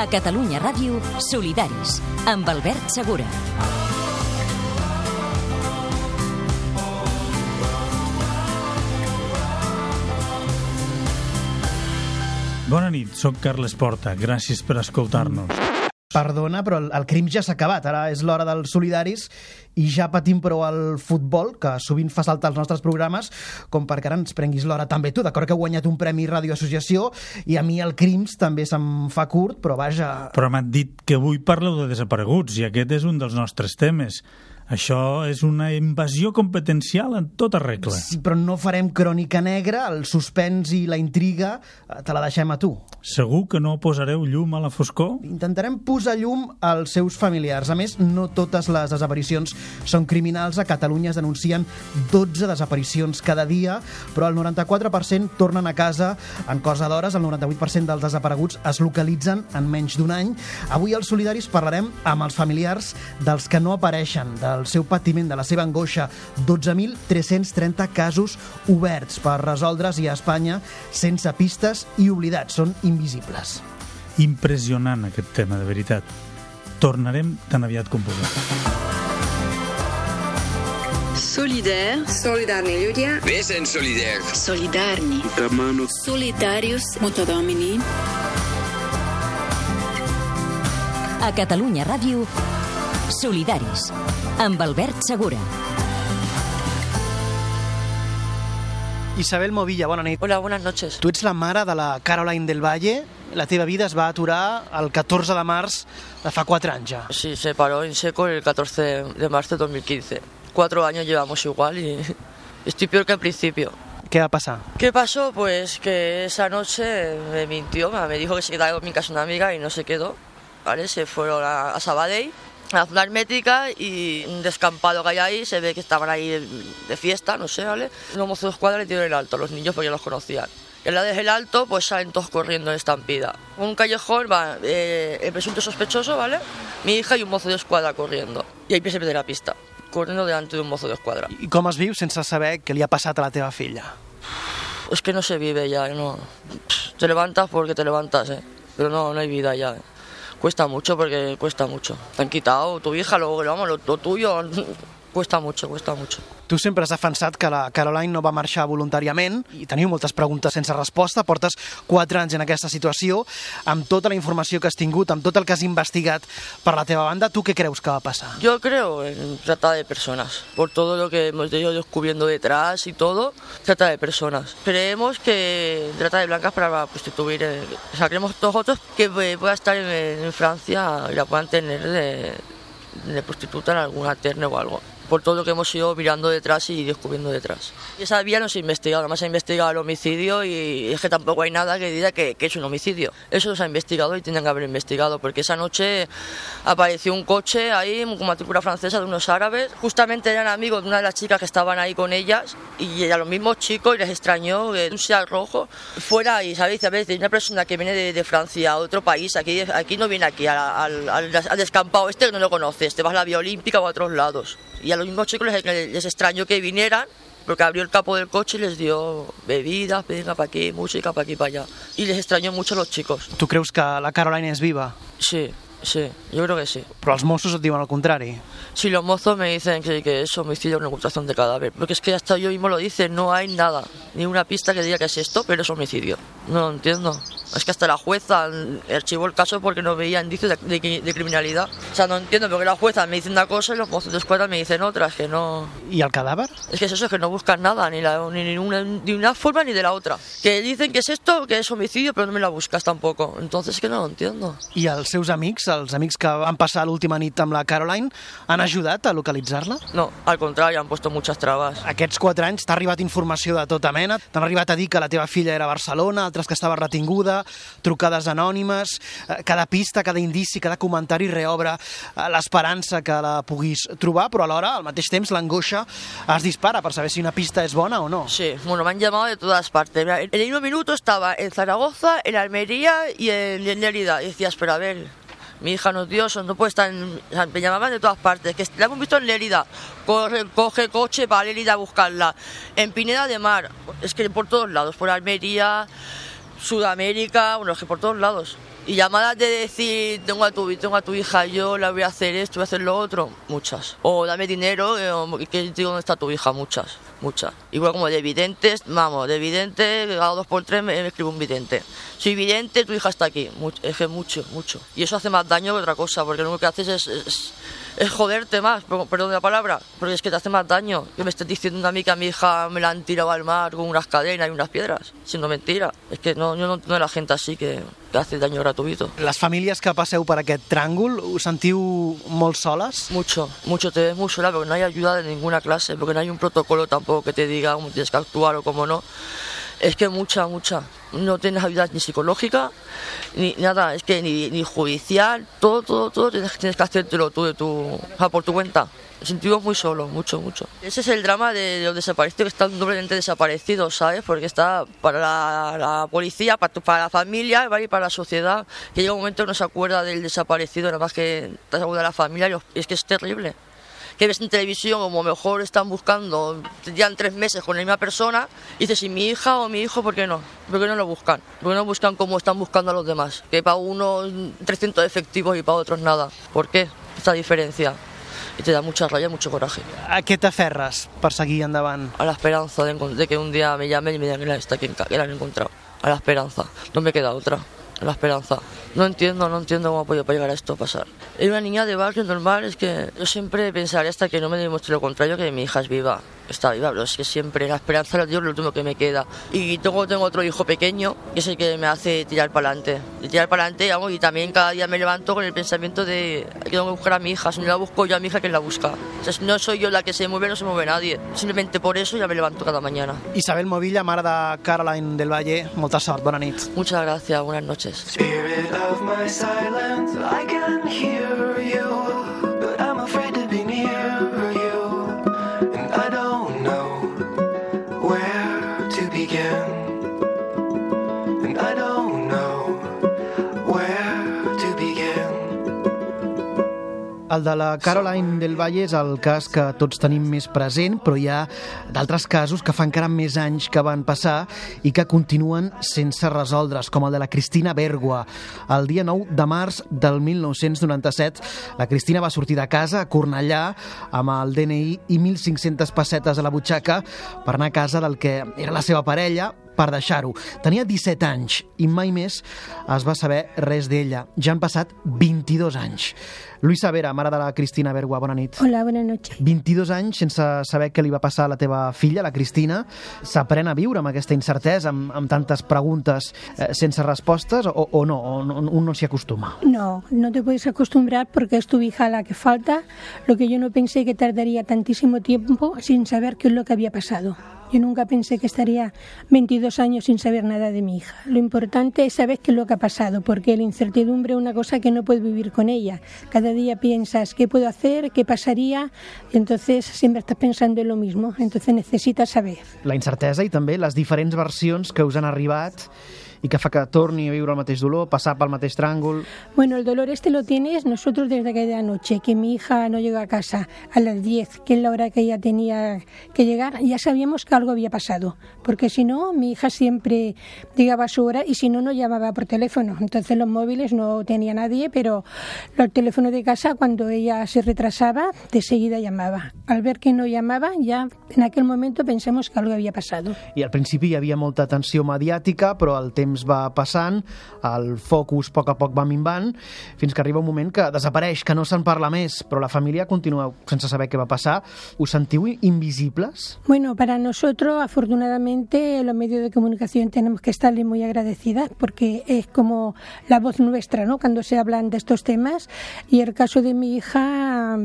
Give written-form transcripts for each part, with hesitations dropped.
A Catalunya Ràdio, Solidaris, amb Albert Segura. Bona nit, soc Carles Porta. Gràcies per escoltar-nos. Perdona, però el crim ja s'ha acabat. Ara és l'hora dels Solidaris i ja patim prou el futbol, que sovint fa saltar els nostres programes, com perquè ara ens prenguis l'hora també tu. D'acord que heu guanyat un premi Ràdio Associació i a mi el crims també se'm fa curt, però vaja... Però m'han dit que avui parleu de desapareguts i aquest és un dels nostres temes. Això és una invasió competencial en tota regla. Sí, però no farem crònica negra, el suspens i la intriga te la deixem a tu. Segur que no posareu llum a la foscor? Intentarem posar llum als seus familiars. A més, no totes les desaparicions són criminals. A Catalunya es denuncien 12 desaparicions cada dia, però el 94% tornen a casa en cosa d'hores. El 98% dels desapareguts es localitzen en menys d'un any. Avui als Solidaris parlarem amb els familiars dels que no apareixen, del seu patiment, de la seva angoixa. 12.330 casos oberts per resoldre's i a Espanya sense pistes i oblidats. Són invisibles. Impressionant aquest tema, de veritat. Tornarem tan aviat com puguem. Solidaire. Solidarni ľudia. Vesen solidaire. Solidarni. Solidarius Mutodomini. A Catalunya Ràdio, Solidaris, amb Albert Segura. Isabel Movilla, bona nit. Hola, buenas noches. Tu ets la mare de la Caroline del Valle. La teva vida es va aturar el 14 de març de fa 4 anys ja. Sí, se paró en seco el 14 de marzo de 2015. 4 años llevamos igual y estoy peor que al principio. ¿Qué va a pasar? ¿Qué pasó? Pues que esa noche me mintió, me dijo que se quedaba en mi casa una amiga y no se quedó, ¿vale? Se fueron a Sabadell, a la zona hermética, y un descampado que hay ahí, se ve que estaban ahí de fiesta, no sé, ¿vale? Los mozos de escuadra le dieron el alto a los niños porque ya los conocían. Y al lado del alto, pues salen todos corriendo en estampida. Un callejón va el presunto sospechoso, ¿vale? Mi hija y un mozo de escuadra corriendo. Y ahí se pierde la pista, corriendo delante de un mozo de escuadra. I com es viu sense saber què li ha passat a la teva filla? Es que no se vive ya, no. Te levantas porque te levantas, pero no hay vida ya. Cuesta mucho porque cuesta mucho. Te han quitado tu hija, luego vamos, lo tuyo. Cuesta mucho, cuesta mucho. Tu sempre has defensat que la Caroline no va marxar voluntàriament i teniu moltes preguntes sense resposta. Portes 4 anys en aquesta situació. Amb tota la informació que has tingut, amb tot el que has investigat per la teva banda, tu què creus que va passar? Yo creo en trata de personas. Por todo lo que hemos ido descubriendo detrás y todo, trata de personas. Creemos que trata de blancas para prostituir. O sea, creemos nosotros que pueda estar en Francia y la puedan tener de prostituta en alguna terna o algo. Por todo lo que hemos ido mirando detrás y descubriendo detrás. Y esa vía no se ha investigado, además se ha investigado el homicidio y es que tampoco hay nada que diga que es un homicidio. Eso no se ha investigado y tendrían que haber investigado, porque esa noche apareció un coche ahí con matrícula francesa de unos árabes. Justamente eran amigos de una de las chicas que estaban ahí con ellas y a los mismos chicos les extrañó que un Seat rojo fuera y, ¿sabéis? A veces una persona que viene de Francia a otro país, aquí no viene aquí al descampado este que no lo conoces, te vas a la Vía Olímpica o a otros lados. Y a los mismos chicos les extrañó que vinieran, porque abrió el capó del coche y les dio bebidas, venga para aquí, música para aquí, para allá. Y les extrañó mucho a los chicos. Tu creus que la Caroline és viva? Sí, yo creo que sí. Però els Mossos et diuen el contrari. Sí, los mozos me dicen que es homicidio o una ocultación de cadáver. Porque es que hasta yo mismo lo dice, no hay nada, ni una pista que diga que es esto, pero es homicidio. No lo entiendo. Es que hasta la jueza archivó el caso porque no veía indicios de criminalidad. O sea, no entiendo, porque la jueza me dice una cosa y los mozos de escuadra me dicen otras, que no... ¿Y el cadàver? Es que es eso, que no buscan nada, ni de una forma ni de la otra. Que dicen que es esto, que es homicidio, pero no me la buscas tampoco. Entonces es que no lo entiendo. I els seus amics, els amics que van passar l'última nit amb la Caroline, han ajudat a localitzar-la? No, al contrario, han puesto muchas trabas. Aquests 4 anys t'ha arribat informació de tota mena? T'han arribat a dir que la teva filla era a Barcelona, altres que estava retinguda, trucades anònimes, cada pista, cada indici, cada comentari reobre l'esperança que la puguis trobar, però alhora, al mateix temps, l'angoixa es dispara per saber si una pista és bona o no. Sí, bueno, me han llamado de todas partes. En el mismo minuto estaba en Zaragoza, en Almería y en Lérida. Y decías, pero a ver, mi hija no es Dios, no puede estar me llamaban de todas partes, que la hemos visto en Lérida, coge coche para Lérida a buscarla, en Pineda de Mar, es que por todos lados, por Almería, Sudamérica, bueno, es que por todos lados. Y llamadas de decir, tengo a tu hija, yo la voy a hacer esto, voy a hacer lo otro, muchas. O dame dinero, que digo, ¿dónde está tu hija? Muchas. Igual como de videntes, de vidente, cada 2 por 3 me escribo un vidente. Soy vidente, tu hija está aquí. Es que mucho. Y eso hace más daño que otra cosa, porque lo único que haces es joderte más, perdón de la palabra, porque es que te hace más daño. Que me estés diciendo a mí que a mi hija me la han tirado al mar con unas cadenas y unas piedras, siendo mentira. Es que yo no entiendo a la gente así que hace daño gratuito. Les famílies que passeu per aquest tràngol, us sentiu molt soles? Mucho, te ves muy sola porque no hay ayuda de ninguna clase, porque no hay un protocolo tampoco que te diga cómo tienes que actuar o cómo no. Es que mucha. No tienes ayuda ni psicológica, ni nada, es que ni judicial, todo tienes que hacértelo tú por tu cuenta. Me sentimos muy solos, mucho. Ese es el drama de los desaparecidos, que están doblemente desaparecidos, ¿sabes? Porque está para la policía, para la familia, ¿vale? Y para la sociedad, que llega un momento que no se acuerda del desaparecido, nada más que te acuerda de la familia, y es que es terrible. Que ves en televisión como mejor están buscando, llevan 3 meses con la misma persona, y dices, si mi hija o mi hijo, ¿por qué no? ¿Por qué no lo buscan? ¿Por qué no buscan como están buscando a los demás? Que para unos 300 efectivos y para otros nada. ¿Por qué esta diferencia? Y te da mucha rabia, mucho coraje. A què t'aferres per seguir endavant? A la esperanza de que un día me llamen y me digan que la han encontrado. A la esperanza. No me queda otra. A la esperanza. No entiendo cómo ha podido llegar a esto a pasar. Es una niña de barrio normal, es que yo siempre pensaré hasta que no me demuestre lo contrario, que mi hija es viva. Está viva, pero es que siempre la esperanza es lo último que me queda. Y tengo otro hijo pequeño, que es el que me hace tirar para adelante. Y también cada día me levanto con el pensamiento de que tengo que buscar a mi hija. Si no la busco yo a mi hija, ¿quién la busca? O sea, si no soy yo la que se mueve, no se mueve nadie. Simplemente por eso ya me levanto cada mañana. Isabel Movilla, mare de Caroline del Valle, molta sort, bona nit. Muchas gracias, buenas noches. Spirit of my silence, I can hear you, but I'm afraid to be near you, and I don't know where to begin, and I don't know where to begin. El de la Caroline del Valle és el cas que tots tenim més present, però hi ha d'altres casos que fa encara més anys que van passar i que continuen sense resoldre's, com el de la Cristina Bergua. El dia 9 de març del 1997, la Cristina va sortir de casa a Cornellà amb el DNI i 1.500 pessetes a la butxaca per anar a casa del que era la seva parella, per deixar-ho. Tenia 17 anys i mai més es va saber res d'ella. Ja han passat 22 anys. Luisa Vera, mare de la Cristina Bergua, bona nit. Hola, buenas noches. 22 anys sense saber què li va passar a la teva filla, la Cristina. S'aprèn a viure amb aquesta incertesa, amb tantes preguntes sense respostes, o no? O un no s'hi acostuma? No te puedes acostumbrar porque es tu hija la que falta. Lo que yo no pensé que tardaría tantísimo tiempo sin saber qué es lo que había pasado. Yo nunca pensé que estaría 22 años sin saber nada de mi hija. Lo importante es saber qué es lo que ha pasado, porque la incertidumbre es una cosa que no puedes vivir con ella. Cada día piensas qué puedo hacer, qué pasaría, y entonces siempre estás pensando en lo mismo. Entonces necesitas saber. La incertesa i també les diferents versions que us han arribat y que fa que torni a viure el mateix dolor, passar pel mateix tràngol. Bueno, el dolor lo tienes nosotros desde aquella noche, que mi hija no llegó a casa a las 10, que es la hora que ella tenía que llegar. Ya sabíamos que algo había pasado, porque si no, mi hija siempre llegaba a su hora y si no, no llamaba por teléfono. Entonces los móviles no tenía nadie, pero los teléfonos de casa, cuando ella se retrasaba, de seguida llamaba. Al ver que no llamaba, ya en aquel momento pensamos que algo había pasado. I al principi hi havia molta atenció mediàtica, però el temps va passant, el focus a poc va minvant, fins que arriba un moment que desapareix, que no se'n parla més, però la família continua sense saber què va passar. Us sentiu invisibles? Bueno, para nosotros, afortunadamente, los medios de comunicación tenemos que estarle muy agradecidas, porque es como la voz nuestra, ¿no?, cuando se hablan de estos temas. Y el caso de mi hija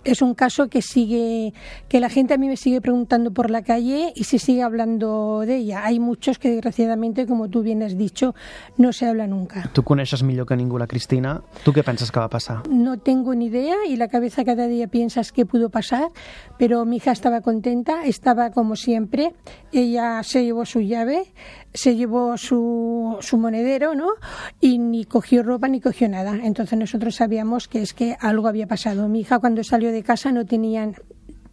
es un caso que la gente a mí me sigue preguntando por la calle y se sigue hablando de ella. Hay muchos que, desgraciadamente, como tú bien has dicho, no se habla nunca. Tu coneixes millor que ningú la Cristina. Tu què penses que va passar? No tengo ni idea, y la cabeza cada día piensas qué pudo pasar, pero mi hija estaba contenta, estaba como siempre. Ella se llevó su llave, se llevó su monedero, ¿no?, y ni cogió ropa ni cogió nada. Entonces nosotros sabíamos que es que algo había pasado. Mi hija, cuando salió de casa, no tenían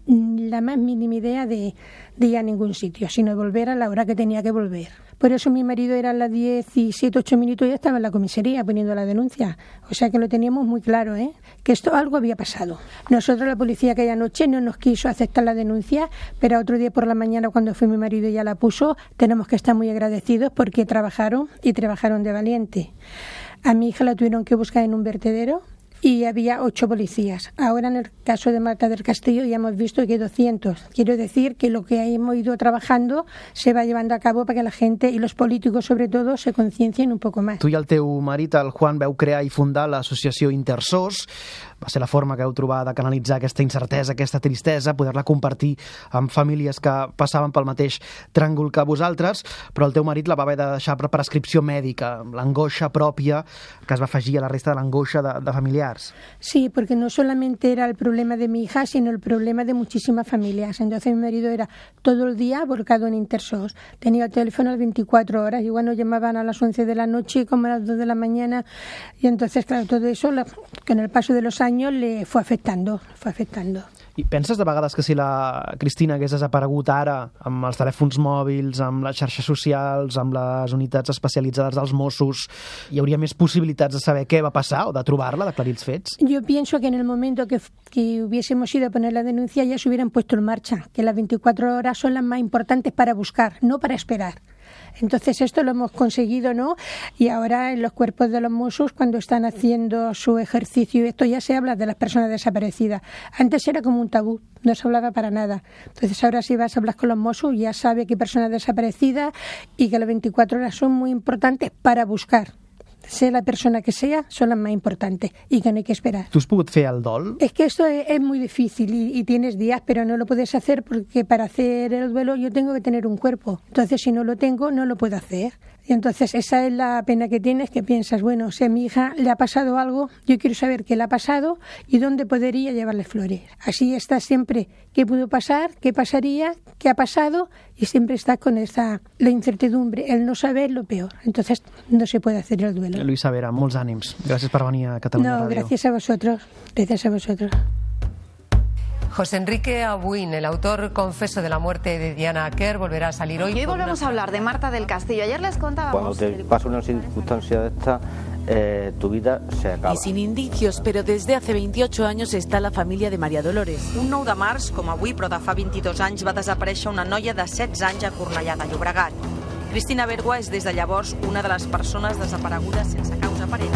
la más mínima idea de ir a ningún sitio, sino de volver a la hora que tenía que volver. Por eso mi marido era a las 17, 8 minutos y ya estaba en la comisaría poniendo la denuncia. O sea que lo teníamos muy claro, que algo había pasado. Nosotros, la policía aquella noche no nos quiso aceptar la denuncia, pero otro día por la mañana cuando fue mi marido y ya la puso, tenemos que estar muy agradecidos porque trabajaron de valiente. A mi hija la tuvieron que buscar en un vertedero y había 8 policías. Ahora en el caso de Marta del Castillo ya hemos visto que hay 200. Quiero decir que lo que hemos ido trabajando se va llevando a cabo para que la gente i los políticos sobretot se conciencien un poc més. Tu i el teu marit, el Juan, veu crear i fundar l'associació Intersos. Va ser la forma que heu trobat de canalitzar aquesta incertesa, aquesta tristesa, poder-la compartir amb famílies que passaven pel mateix tràngol que vosaltres, però el teu marit la va haver de deixar per prescripció mèdica, l'angoixa pròpia que es va afegir a la resta de l'angoixa de familiars. Sí, porque no solamente era el problema de mi hija, sino el problema de muchísimas familias. Entonces mi marido era todo el día volcado en Intersos. Tenía el teléfono a las 24 horas. Igual nos llamaban a las 11 de la noche como a las 2 de la mañana. Y entonces, claro, todo eso con el paso de los años le fue afectando. I penses de vegades que si la Cristina hagués desaparegut ara amb els telèfons mòbils, amb les xarxes socials, amb les unitats especialitzades dels Mossos, hi hauria més possibilitats de saber què va passar o de trobar-la, d'aclarir els fets? Yo pienso que en el momento que hubiésemos ido a poner la denuncia ya se hubieran puesto en marcha, que las 24 horas son las más importantes para buscar, no para esperar. Entonces esto lo hemos conseguido, ¿no? Y ahora en los cuerpos de los Mossos, cuando están haciendo su ejercicio, esto ya se habla de las personas desaparecidas. Antes era como un tabú, no se hablaba para nada. Entonces ahora si vas a hablar con los Mossos ya sabe que hay personas desaparecidas y que las 24 horas son muy importantes para buscar. Sea la persona que sea, son las más importantes y que no hay que esperar. ¿Tú has podido hacer el dol? Es que esto es muy difícil y tienes días, pero no lo puedes hacer porque para hacer el duelo yo tengo que tener un cuerpo. Entonces, si no lo tengo, no lo puedo hacer. Y entonces, esa es la pena que tienes, que piensas, bueno, si a mi hija le ha pasado algo, yo quiero saber qué le ha pasado y dónde podría llevarle flores. Así estás siempre, ¿qué pudo pasar? ¿Qué pasaría? ¿Qué ha pasado? Y siempre estás con la incertidumbre, el no saber lo peor. Entonces, no se puede hacer el duelo. Luisa Vera, molts ànims. Gràcies per venir a Catalunya Radio. No, gracias a vosotros. Gracias a vosotros. José Enrique Abuin, el autor confeso de la muerte de Diana Quer, volverá a salir hoy. Y hoy volvemos a hablar de Marta del Castillo. Ayer les contábamos... Cuando te pasa una circunstancia de esta, tu vida se acaba. Y sin indicios, pero desde hace 28 años está la família de Maria Dolores. Un 9 de març, com avui, però de fa 22 anys, va desaparèixer una noia de 16 anys a Cornellà de Llobregat. Cristina Bergua és des de llavors una de les persones desaparegudes sense causa aparent.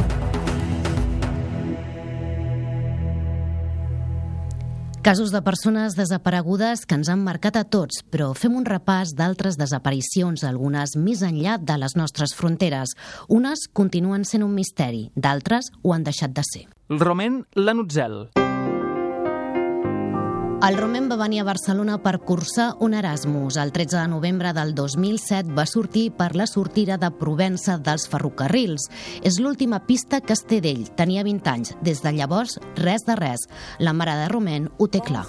Casos de persones desaparegudes que ens han marcat a tots, però fem un repàs d'altres desaparicions, algunes més enllà de les nostres fronteres. Unes continuen sent un misteri, d'altres ho han deixat de ser. Romain Lanutzel. El Romain va venir a Barcelona per cursar un Erasmus. El 13 de novembre del 2007 va sortir per la sortida de Provença dels ferrocarrils. És l'última pista que es té d'ell. Tenia 20 anys. Des de llavors, res de res. La mare de Romain ho té clar.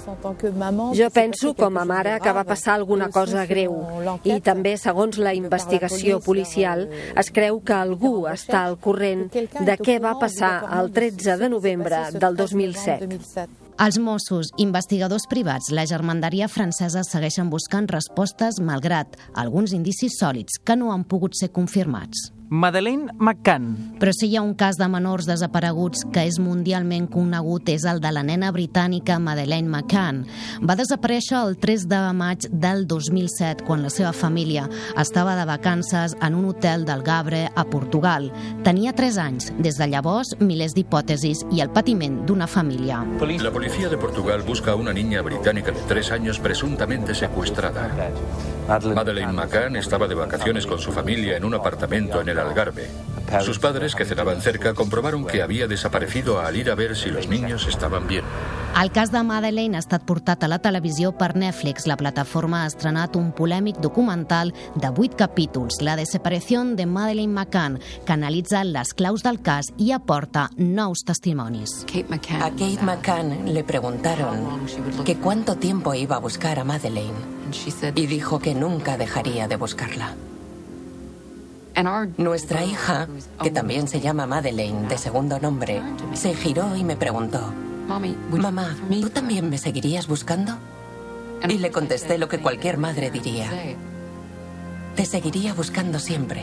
Jo penso, com a mare, que va passar alguna cosa greu. I també, segons la investigació policial, es creu que algú està al corrent de què va passar el 13 de novembre del 2007. Els Mossos, investigadors privats, la Gendarmeria francesa segueixen buscant respostes malgrat alguns indicis sòlids que no han pogut ser confirmats. Madeleine McCann. Però si hi ha un cas de menors desapareguts que és mundialment conegut és el de la nena britànica Madeleine McCann. Va desaparèixer el 3 de maig del 2007 quan la seva família estava de vacances en un hotel del Gavre a Portugal. Tenia 3 anys. Des de llavors, milers d'hipòtesis i el patiment d'una família. La policía de Portugal busca a una niña británica de 3 años presuntamente secuestrada. Madeleine McCann estaba de vacaciones con su familia en un apartamento en el Algarve. Sus padres, que cenaban cerca, comprobaron que había desaparecido al ir a ver si los niños estaban bien. El cas de Madeleine ha estat portat a la televisió per Netflix. La plataforma ha estrenat un polèmic documental de 8 capítols, La desaparició de Madeleine McCann, que analitza les claus del cas i aporta nous testimonis. A Kate McCann le preguntaron que cuánto tiempo iba a buscar a Madeleine y dijo que nunca dejaría de buscarla. Nuestra hija, que también se llama Madeleine de segundo nombre, se giró y me preguntó: Mamá, ¿tú también me seguirías buscando? Y le contesté lo que cualquier madre diría. Te seguiría buscando siempre.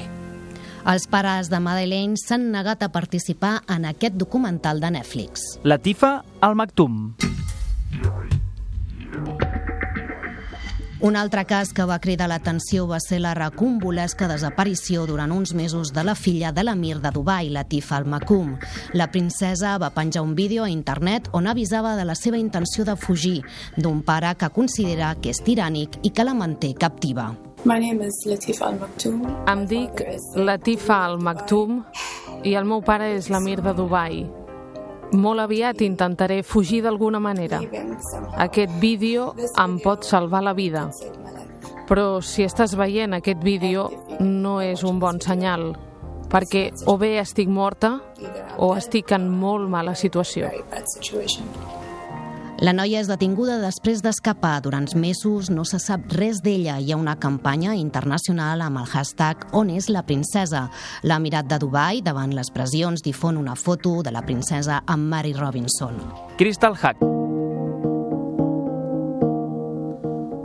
Els pares de Madeleine s'han negat a participar en aquest documental de Netflix. Latifa Al Maktoum. Un altre cas que va cridar l'atenció va ser la recombolesca desaparició durant uns mesos de la filla de l'emir de Dubai, Latifa Al Maktoum. La princesa va penjar un vídeo a internet on avisava de la seva intenció de fugir d'un pare que considera que és tirànic i que la manté captiva. My name is Latifa Al Maktoum. Em dic Latifa Al Maktoum i el meu pare és l'emir de Dubai. Molt aviat intentaré fugir d'alguna manera. Aquest vídeo em pot salvar la vida. Però si estàs veient aquest vídeo no és un bon senyal, perquè o bé estic morta o estic en molt mala situació. La noia és detinguda després d'escapar. Durant mesos no se sap res d'ella. Hi ha una campanya internacional amb el hashtag On és la princesa? L'Emirat de Dubai, davant les pressions, difon una foto de la princesa amb Mary Robinson. Crystal Hack.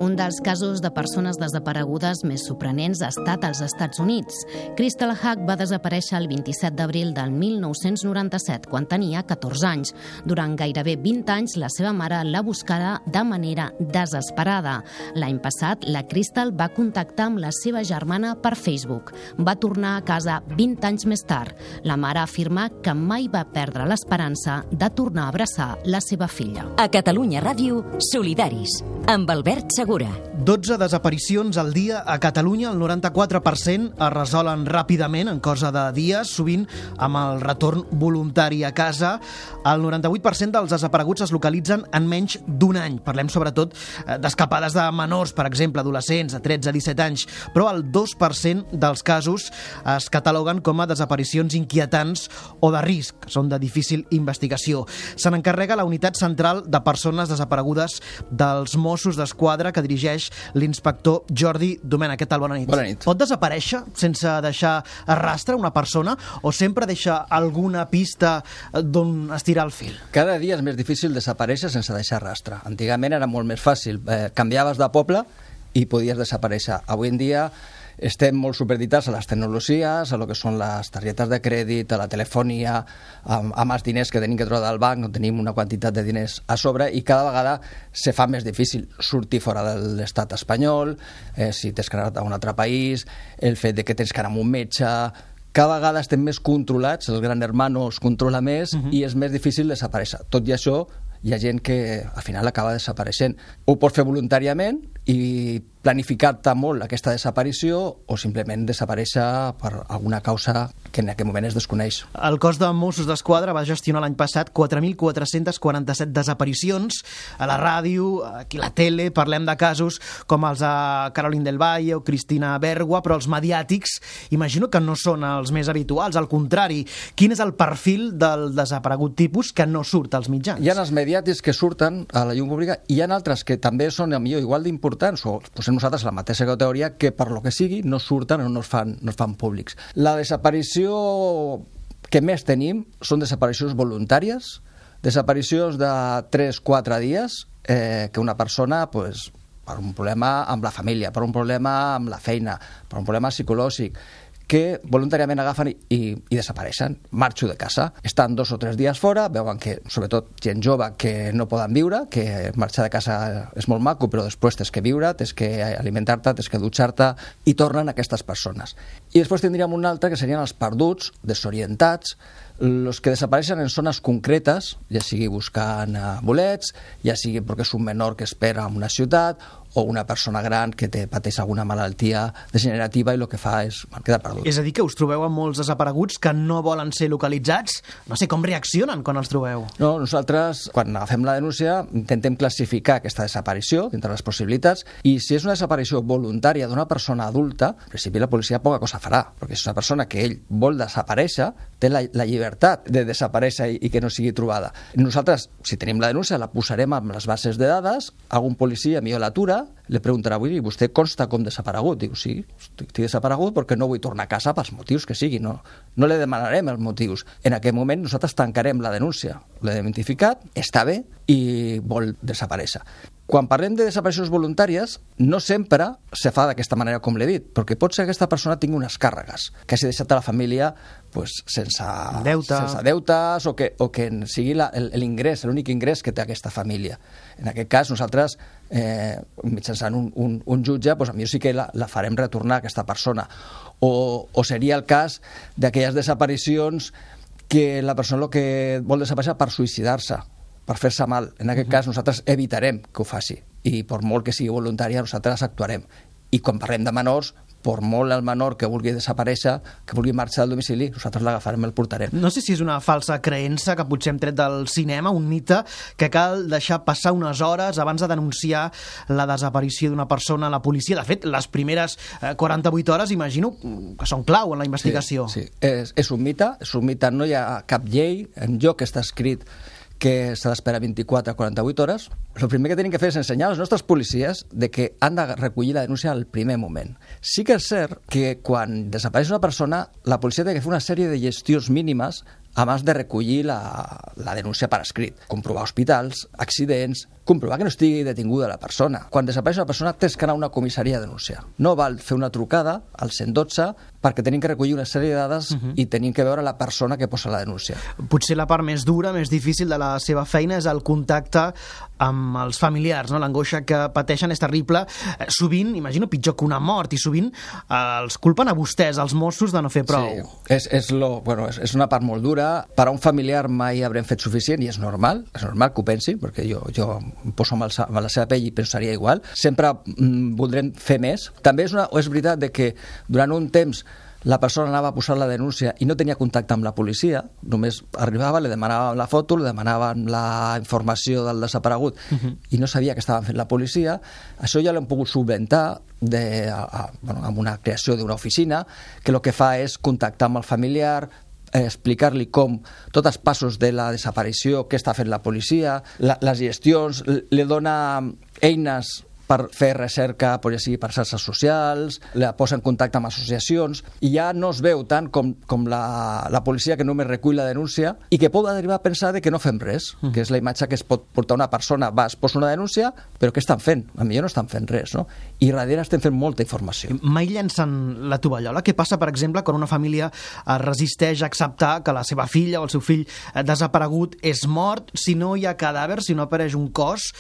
Un dels casos de persones desaparegudes més sorprenents ha estat als Estats Units. Crystal Hack va desaparèixer el 27 d'abril del 1997, quan tenia 14 anys. Durant gairebé 20 anys, la seva mare la buscava de manera desesperada. L'any passat, la Crystal va contactar amb la seva germana per Facebook. Va tornar a casa 20 anys més tard. La mare afirma que mai va perdre l'esperança de tornar a abraçar la seva filla. A Catalunya Ràdio, Solidaris, amb Albert Segura. 12 desaparicions al dia a Catalunya, el 94% es resolen ràpidament, en cosa de dies, sovint amb el retorn voluntari a casa. El 98% dels desapareguts es localitzen en menys d'un any. Parlem sobretot d'escapades de menors, per exemple, adolescents de 13 a 17 anys, però el 2% dels casos es cataloguen com a desaparicions inquietants o de risc, que són de difícil investigació. Se n'encarrega la Unitat Central de Persones Desaparegudes dels Mossos d'Esquadra, que dirigeix l'inspector Jordi Domènech. Què tal? Bona nit. Bona nit. Pot desaparèixer sense deixar rastre una persona o sempre deixa alguna pista d'on estirar el fil? Cada dia és més difícil desaparèixer sense deixar rastre. Antigament era molt més fàcil. Canviaves de poble i podies desaparèixer. Avui en dia estem molt supeditats a les tecnologies, a lo que són les targetes de crèdit, a la telefonia, amb els diners que tenim que treure del banc, on tenim una quantitat de diners a sobre, i cada vegada se fa més difícil sortir fora de l'estat espanyol, si t'has quedat a un altre país, el fet de que tens que anar amb un metge. Cada vegada estem més controlats, el gran hermano els controla més i és més difícil desaparèixer. Tot i això, hi ha gent que al final acaba desapareixent. Ho pots fer voluntàriament i planificar-te molt aquesta desaparició o simplement desaparèixer per alguna causa que en aquest moment es desconeix. El cos de Mossos d'Esquadra va gestionar l'any passat 4.447 desaparicions. A la ràdio, aquí a la tele, parlem de casos com els de Caroline del Valle o Cristina Bergua, però els mediàtics imagino que no són els més habituals, al contrari. Quin és el perfil del desaparegut tipus que no surt als mitjans? Hi ha els mediàtics que surten a la llum pública i hi ha altres que també són millor igual d'importants o posem nosaltres la mateixa categoria que per lo que sigui no surten o no es fan públics. La desaparició que més tenim són desaparicions voluntàries, desaparicions de 3-4 dies que una persona pues, per un problema amb la família, per un problema amb la feina, per un problema psicològic, que voluntàriament agafen i desapareixen. Marxo de casa. Estan 2 o 3 dies fora, veuen que, sobretot, gent jove que no poden viure, que marxar de casa és molt maco, però després tens que viure, tens que alimentar-te, tens que dutxar-te, i tornen aquestes persones. I després tindríem un altre que serien els perduts, desorientats, els que desapareixen en zones concretes, ja sigui buscant bolets, ja sigui perquè és un menor que espera en una ciutat, o una persona gran que pateix alguna malaltia degenerativa i el que fa és quedar perdut. És a dir, que us trobeu amb molts desapareguts que no volen ser localitzats? No sé, com reaccionen quan els trobeu? No, nosaltres, quan agafem la denúncia, intentem classificar aquesta desaparició dintre les possibilitats i si és una desaparició voluntària d'una persona adulta, en principi la policia poca cosa farà, perquè és una persona que ell vol desaparèixer, té la llibertat de desaparèixer i que no sigui trobada. Nosaltres, si tenim la denúncia, la posarem amb les bases de dades, algun policia millor l'atura, le preguntarà, avui, vostè consta com desaparegut? Diu, sí, estic desaparegut perquè no vull tornar a casa pels motius que sigui. No li demanarem els motius. En aquest moment nosaltres tancarem la denúncia. L'he identificat, està bé i vol desaparèixer. Quan parlem de desaparicions voluntàries, no sempre se fa d'aquesta manera com l'he dit, perquè pot ser que aquesta persona tingui unes càrregues, que hagi deixat a la família sense deutes o que sigui l'ingrés, l'únic ingrés que té aquesta família. En aquest cas, nosaltres, mitjançant un jutge, potser sí que la farem retornar a aquesta persona. O seria el cas d'aquelles desaparicions que la persona el que vol desaparèixer per suïcidar-se, per fer-se mal. En aquest cas nosaltres evitarem que ho faci i per molt que sigui voluntària nosaltres actuarem. I quan parlem de menors, per molt el menor que vulgui desaparèixer, que vulgui marxar del domicili, nosaltres l'agafarem i el portarem. No sé si és una falsa creença que potser hem tret del cinema, un mite, que cal deixar passar unes hores abans de denunciar la desaparició d'una persona a la policia. De fet, les primeres 48 hores imagino que són clau en la investigació. Sí. És un mite, no hi ha cap llei enlloc que està escrit que s'ha d'esperar 24 a 48 hores. El primer que tenim que fer és ensenyar als nostres policies de que han de recollir la denúncia al primer moment. Sí que és cert que quan desapareix una persona, la policia té que fer una sèrie de gestions mínimes abans de recollir la denúncia per escrit. Comprovar hospitals, accidents, comprovar que no estigui detinguda la persona. Quan desapareix una persona tens que anar a una comissaria a denunciar. No val fer una trucada al 112 perquè tenim que recollir una sèrie de dades i tenim que veure la persona que posa la denúncia. Potser la part més dura, més difícil de la seva feina és el contacte amb els familiars, no? L'angoixa que pateixen és terrible. Sovint, imagino, pitjor que una mort, i sovint els culpen a vostès, als Mossos, de no fer prou. Sí, és una part molt dura. Per a un familiar mai haurem fet suficient i és normal que ho pensi, perquè jo em poso amb la seva pell i pensaria igual. Sempre voldrem fer més. També és veritat que durant un temps la persona anava a posar la denúncia i no tenia contacte amb la policia, només arribava, li demanàvem la foto, li demanàvem la informació del desaparegut i no sabia que estaven fent la policia. Això ja l'hem pogut solventar amb una creació d'una oficina que el que fa és contactar amb el familiar, explicar-li com tots els passos de la desaparició, què està fent la policia, les gestions, li dona eines per fer recerca, per xarxes socials, la posa en contacte amb associacions, i ja no es veu tant com la policia que només recull la denúncia i que pot arribar a pensar que no fem res, que és la imatge que es pot portar una persona, es posa una denúncia, però què estan fent? A millor no estan fent res, no? I darrere estem fent molta informació. Mai llancen la tovallola? Què passa, per exemple, quan una família es resisteix a acceptar que la seva filla o el seu fill desaparegut és mort, si no hi ha cadàver, si no apareix un cos,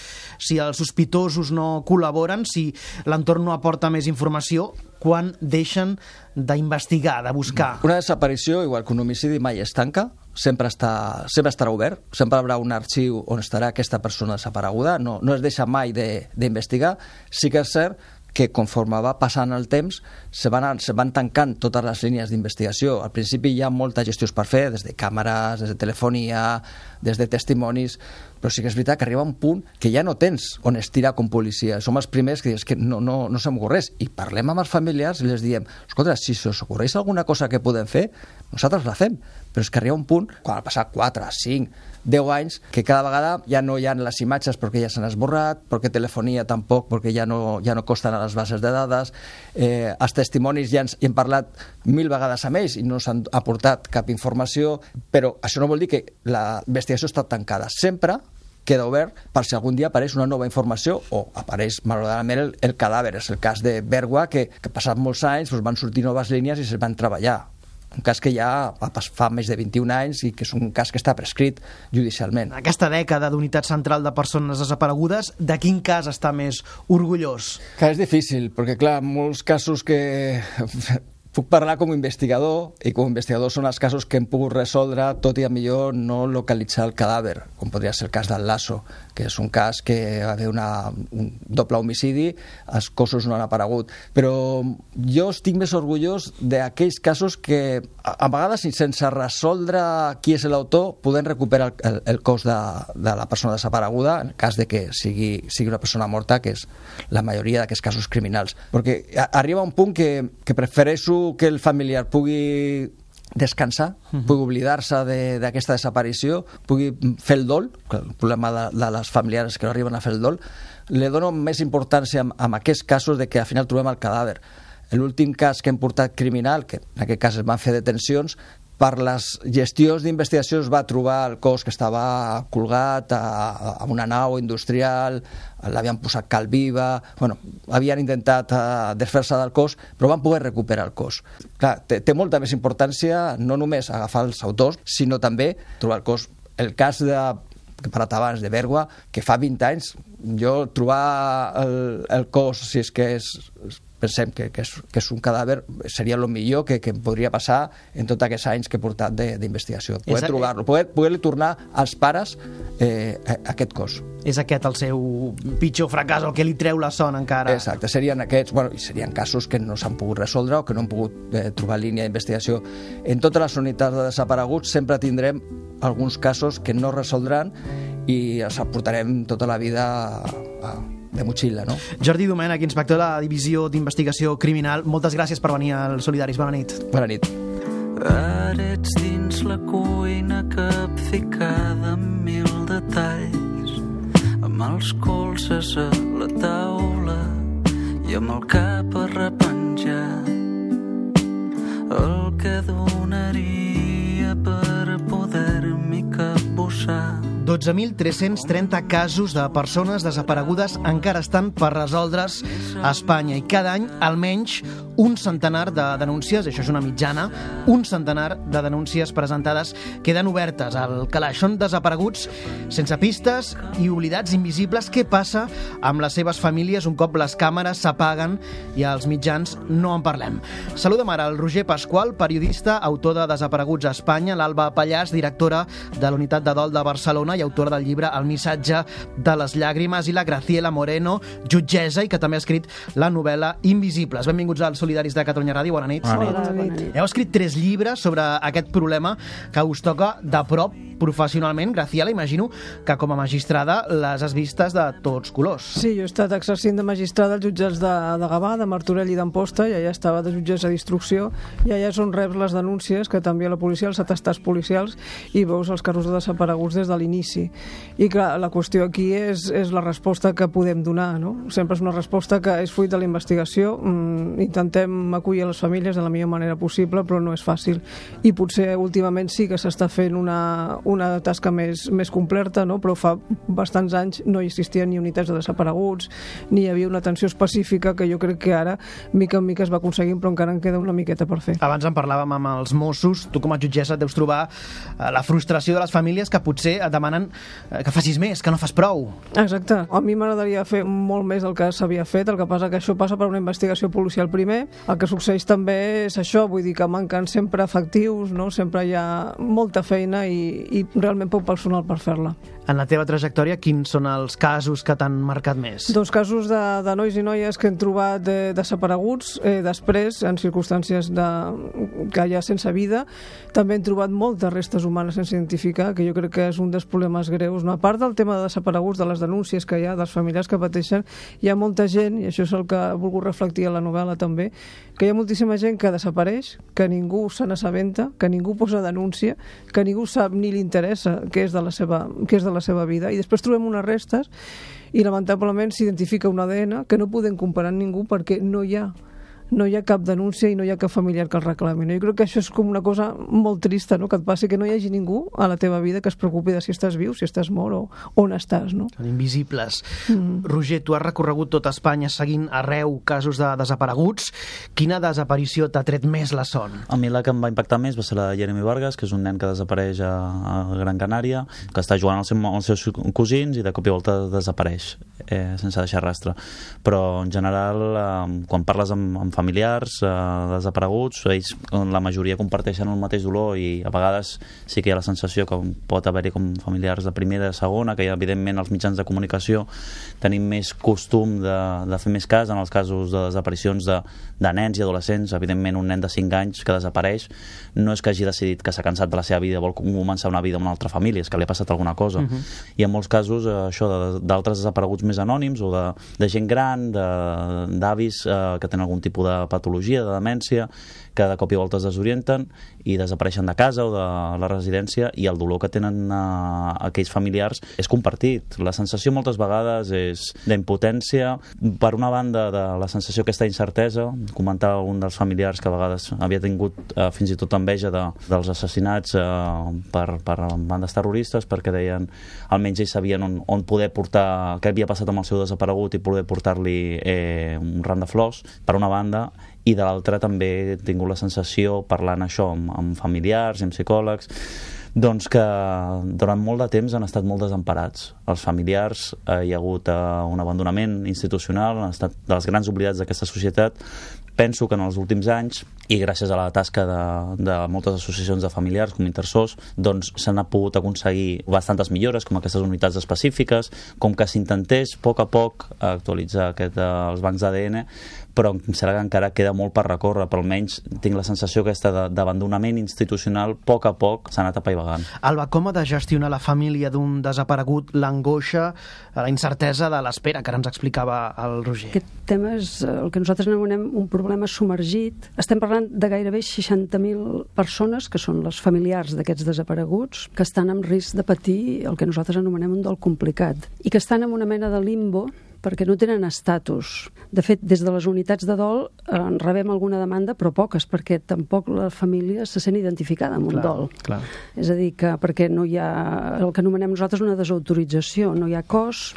si els sospitosos no col·laboren, si l'entorn no aporta més informació, quan deixen d'investigar, de buscar? Una desaparició, igual que un homicidi, mai es tanca, sempre estarà obert, sempre hi haurà un arxiu on estarà aquesta persona desapareguda, no es deixa mai d'investigar. Sí que és cert que conforme va passant el temps se van tancant totes les línies d'investigació. Al principi hi ha moltes gestions per fer, des de càmeres, des de telefonia, des de testimonis, però sí que és veritat que arriba un punt que ja no tens on estirar com policia. Som els primers que dius que no se m'ocorreix, i parlem amb els familiars i els diem, escolta, si us ocorreix alguna cosa que podem fer, nosaltres la fem, però és que arriba un punt, quan ha passat 4, 5, 10 anys, que cada vegada ja no hi ha les imatges perquè ja s'han esborrat, perquè telefonia tampoc, perquè ja no costen a les bases de dades, els testimonis ja hem parlat 1000 vegades amb ells i no s'han aportat cap informació, però això no vol dir que la investigació està tancada. Sempre queda obert per si algun dia apareix una nova informació o apareix malauradament el cadàver. És el cas de Bergua, que passat molts anys van sortir noves línies i se'n van treballar. Un cas que ja fa més de 21 anys i que és un cas que està prescrit judicialment. Aquesta dècada d'unitat central de persones desaparegudes, de quin cas està més orgullós? Que és difícil, perquè clar, molts casos que puc parlar com a investigador, i com a investigador són els casos que hem pogut resoldre, tot i a millor no localitzar el cadàver, com podria ser el cas del Lasso, que és un cas que va haver un doble homicidi, els cossos no han aparegut. Però jo estic més orgullós d'aquells casos que, a vegades, sense resoldre qui és l'autor, podem recuperar el cos de la persona desapareguda, en el cas de que sigui una persona morta, que és la majoria d'aquests casos criminals. Perquè arriba un punt que prefereixo que el familiar pugui descansar, pugui oblidar-se d'aquesta desaparició, pugui fer el dol, el problema de les familiars que no arriben a fer el dol. Le dono més importància en aquests casos de que al final trobem el cadàver. L'últim cas que hem portat criminal, que en aquest cas es van fer detencions, Per les gestions d'investigació es va trobar el cos que estava colgat a una nau industrial, l'havien posat cal viva, havien intentat desfer-se del cos, però van poder recuperar el cos. Clar, té molta més importància no només agafar els autors, sinó també trobar el cos. El cas que he parlat abans de Bergua, que fa 20 anys, jo trobar el cos, si és que pensem que és un cadàver, seria el millor que em podria passar en tots aquests anys que he portat d'investigació. Poder trobar-lo, poder-li tornar als pares aquest cos. És aquest el seu pitjor fracàs, el que li treu la son encara. Exacte, serien aquests, i serien casos que no s'han pogut resoldre o que no han pogut trobar línia d'investigació. En totes les unitats de desapareguts sempre tindrem alguns casos que no resoldran i els aportarem tota la vida de motxilla, no? Jordi Domènech, inspector de la Divisió d'Investigació Criminal, moltes gràcies per venir als Solidaris. Bona nit. Bona nit. Ara ets dins la cuina capficada amb 1000 detalls, amb els colzes a la taula i amb el cap arrepenjat. El que donaria per poder-m'hi capbussar. 12.330 casos de persones desaparegudes encara estan per resoldre's a Espanya i cada any almenys un centenar de denúncies, això és una mitjana, un centenar de denúncies presentades queden obertes al calaix. Són desapareguts sense pistes i oblidats invisibles. Què passa amb les seves famílies un cop les càmeres s'apaguen i als mitjans no en parlem? Saludem ara el Roger Pasqual, periodista, autor de Desapareguts a Espanya, l'Alba Pallàs, directora de la Unitat de Dol de Barcelona i autora del llibre El missatge de les llàgrimes, i la Graciela Moreno, jutgessa i que també ha escrit la novel·la Invisibles. Benvinguts als Solidaris de Catalunya Ràdio, bona nit. Bona nit. Heu escrit 3 llibres sobre aquest problema que us toca de prop professionalment. Graciela, imagino que com a magistrada les has vistes de tots colors. Sí, jo he estat exercint de magistrada als jutjats de Gavà, de Martorell i d'Amposta, i allà estava de jutgessa d'instrucció, i allà és on reps les denúncies que t'envia la policia, els atestats policials, i veus els casos de desapareguts des de l'inici. I clar, la qüestió aquí és la resposta que podem donar, no? Sempre és una resposta que és fruit de la investigació. Intentem acollir a les famílies de la millor manera possible, però no és fàcil. I potser últimament sí que s'està fent una tasca més completa, no? Però fa bastants anys no hi existien ni unitats de desapareguts, ni hi havia una atenció específica que jo crec que ara, mica en mica, es va aconseguint, però encara en queda una miqueta per fer. Abans en parlàvem amb els Mossos. Tu com a jutgessa deus trobar la frustració de les famílies que potser et demanen que facis més, que no fas prou. Exacte. A mi m'agradaria fer molt més del que s'havia fet, el que passa que això passa per una investigació policial primer. El que succeeix també és això, vull dir que manquen sempre efectius, no? Sempre hi ha molta feina i realment poc personal per fer-la. En la teva trajectòria, quins són els casos que t'han marcat més? Dos casos de nois i noies que hem trobat desapareguts, després, en circumstàncies que hi ha sense vida. També hem trobat moltes restes humanes sense identificar, que jo crec que és un dels problemes greus. No? A part del tema de desapareguts, de les denúncies que hi ha, dels familiars que pateixen, hi ha molta gent, i això és el que he volgut reflectir a la novel·la també, que hi ha moltíssima gent que desapareix, que ningú se n'assabenta, que ningú posa denúncia, que ningú sap ni li interessa què és de la seva vida, i després trobem unes restes i lamentablement s'identifica un ADN que no podem comparar amb ningú perquè no hi ha cap denúncia i no hi ha cap familiar que el reclami. No? Jo crec que això és com una cosa molt trista, no? Que et passi que no hi hagi ningú a la teva vida que es preocupi de si estàs viu, si estàs mort o on estàs. No? Són invisibles. Roger, tu has recorregut tota Espanya seguint arreu casos de desapareguts. Quina desaparició t'ha tret més la son? A mi la que em va impactar més va ser la de Jeremy Vargas, que és un nen que desapareix a Gran Canària, que està jugant amb els seus cosins i de cop i volta desapareix sense deixar rastre. Però en general, quan parles amb familiars desapareguts, ells la majoria comparteixen el mateix dolor i a vegades sí que hi ha la sensació que pot haver-hi com familiars de primera i de segona, que evidentment els mitjans de comunicació tenim més costum de fer més cas en els casos de desaparicions de nens i adolescents. Evidentment un nen de 5 anys que desapareix no és que hagi decidit que s'ha cansat de la seva vida, vol començar una vida amb una altra família, és que li ha passat alguna cosa. I en molts casos això d'altres desapareguts més anònims o de gent gran, d'avis que tenen algun tipus de patologia, de demència, que de cop i volta es desorienten i desapareixen de casa o de la residència, i el dolor que tenen aquells familiars és compartit. La sensació moltes vegades és d'impotència, per una banda de la sensació aquesta d'incertesa. Comentava un dels familiars que a vegades havia tingut fins i tot enveja dels assassinats per bandes terroristes, perquè deien almenys ells sabien on poder portar què havia passat amb el seu desaparegut i poder portar-li un ram de flors, per una banda, i de l'altra també he tingut la sensació, parlant això amb familiars i amb psicòlegs, doncs que durant molt de temps han estat molt desemparats. Els familiars, hi ha hagut un abandonament institucional, han estat dels grans oblidats d'aquesta societat. Penso que en els últims anys, i gràcies a la tasca de moltes associacions de familiars com Intersos, doncs s'han pogut aconseguir bastantes millores, com aquestes unitats específiques, com que s'intentés a poc actualitzar els bancs d'ADN, però em sembla que encara queda molt per recórrer, però almenys tinc la sensació aquesta d'abandonament institucional a poc s'ha anat apaivagant. Alba, com ha de gestionar la família d'un desaparegut l'angoixa, la incertesa de l'espera, que ara ens explicava el Roger? Aquest tema és el que nosaltres anomenem un problema submergit. Estem parlant de gairebé 60.000 persones, que són les familiars d'aquests desapareguts, que estan en risc de patir el que nosaltres anomenem un dol complicat, i que estan en una mena de limbo perquè no tenen estatus. De fet, des de les unitats de dol en rebem alguna demanda, però poques, perquè tampoc la família se sent identificada amb un dol. Clar. És a dir, que perquè no hi ha el que anomenem nosaltres una desautorització, no hi ha cos,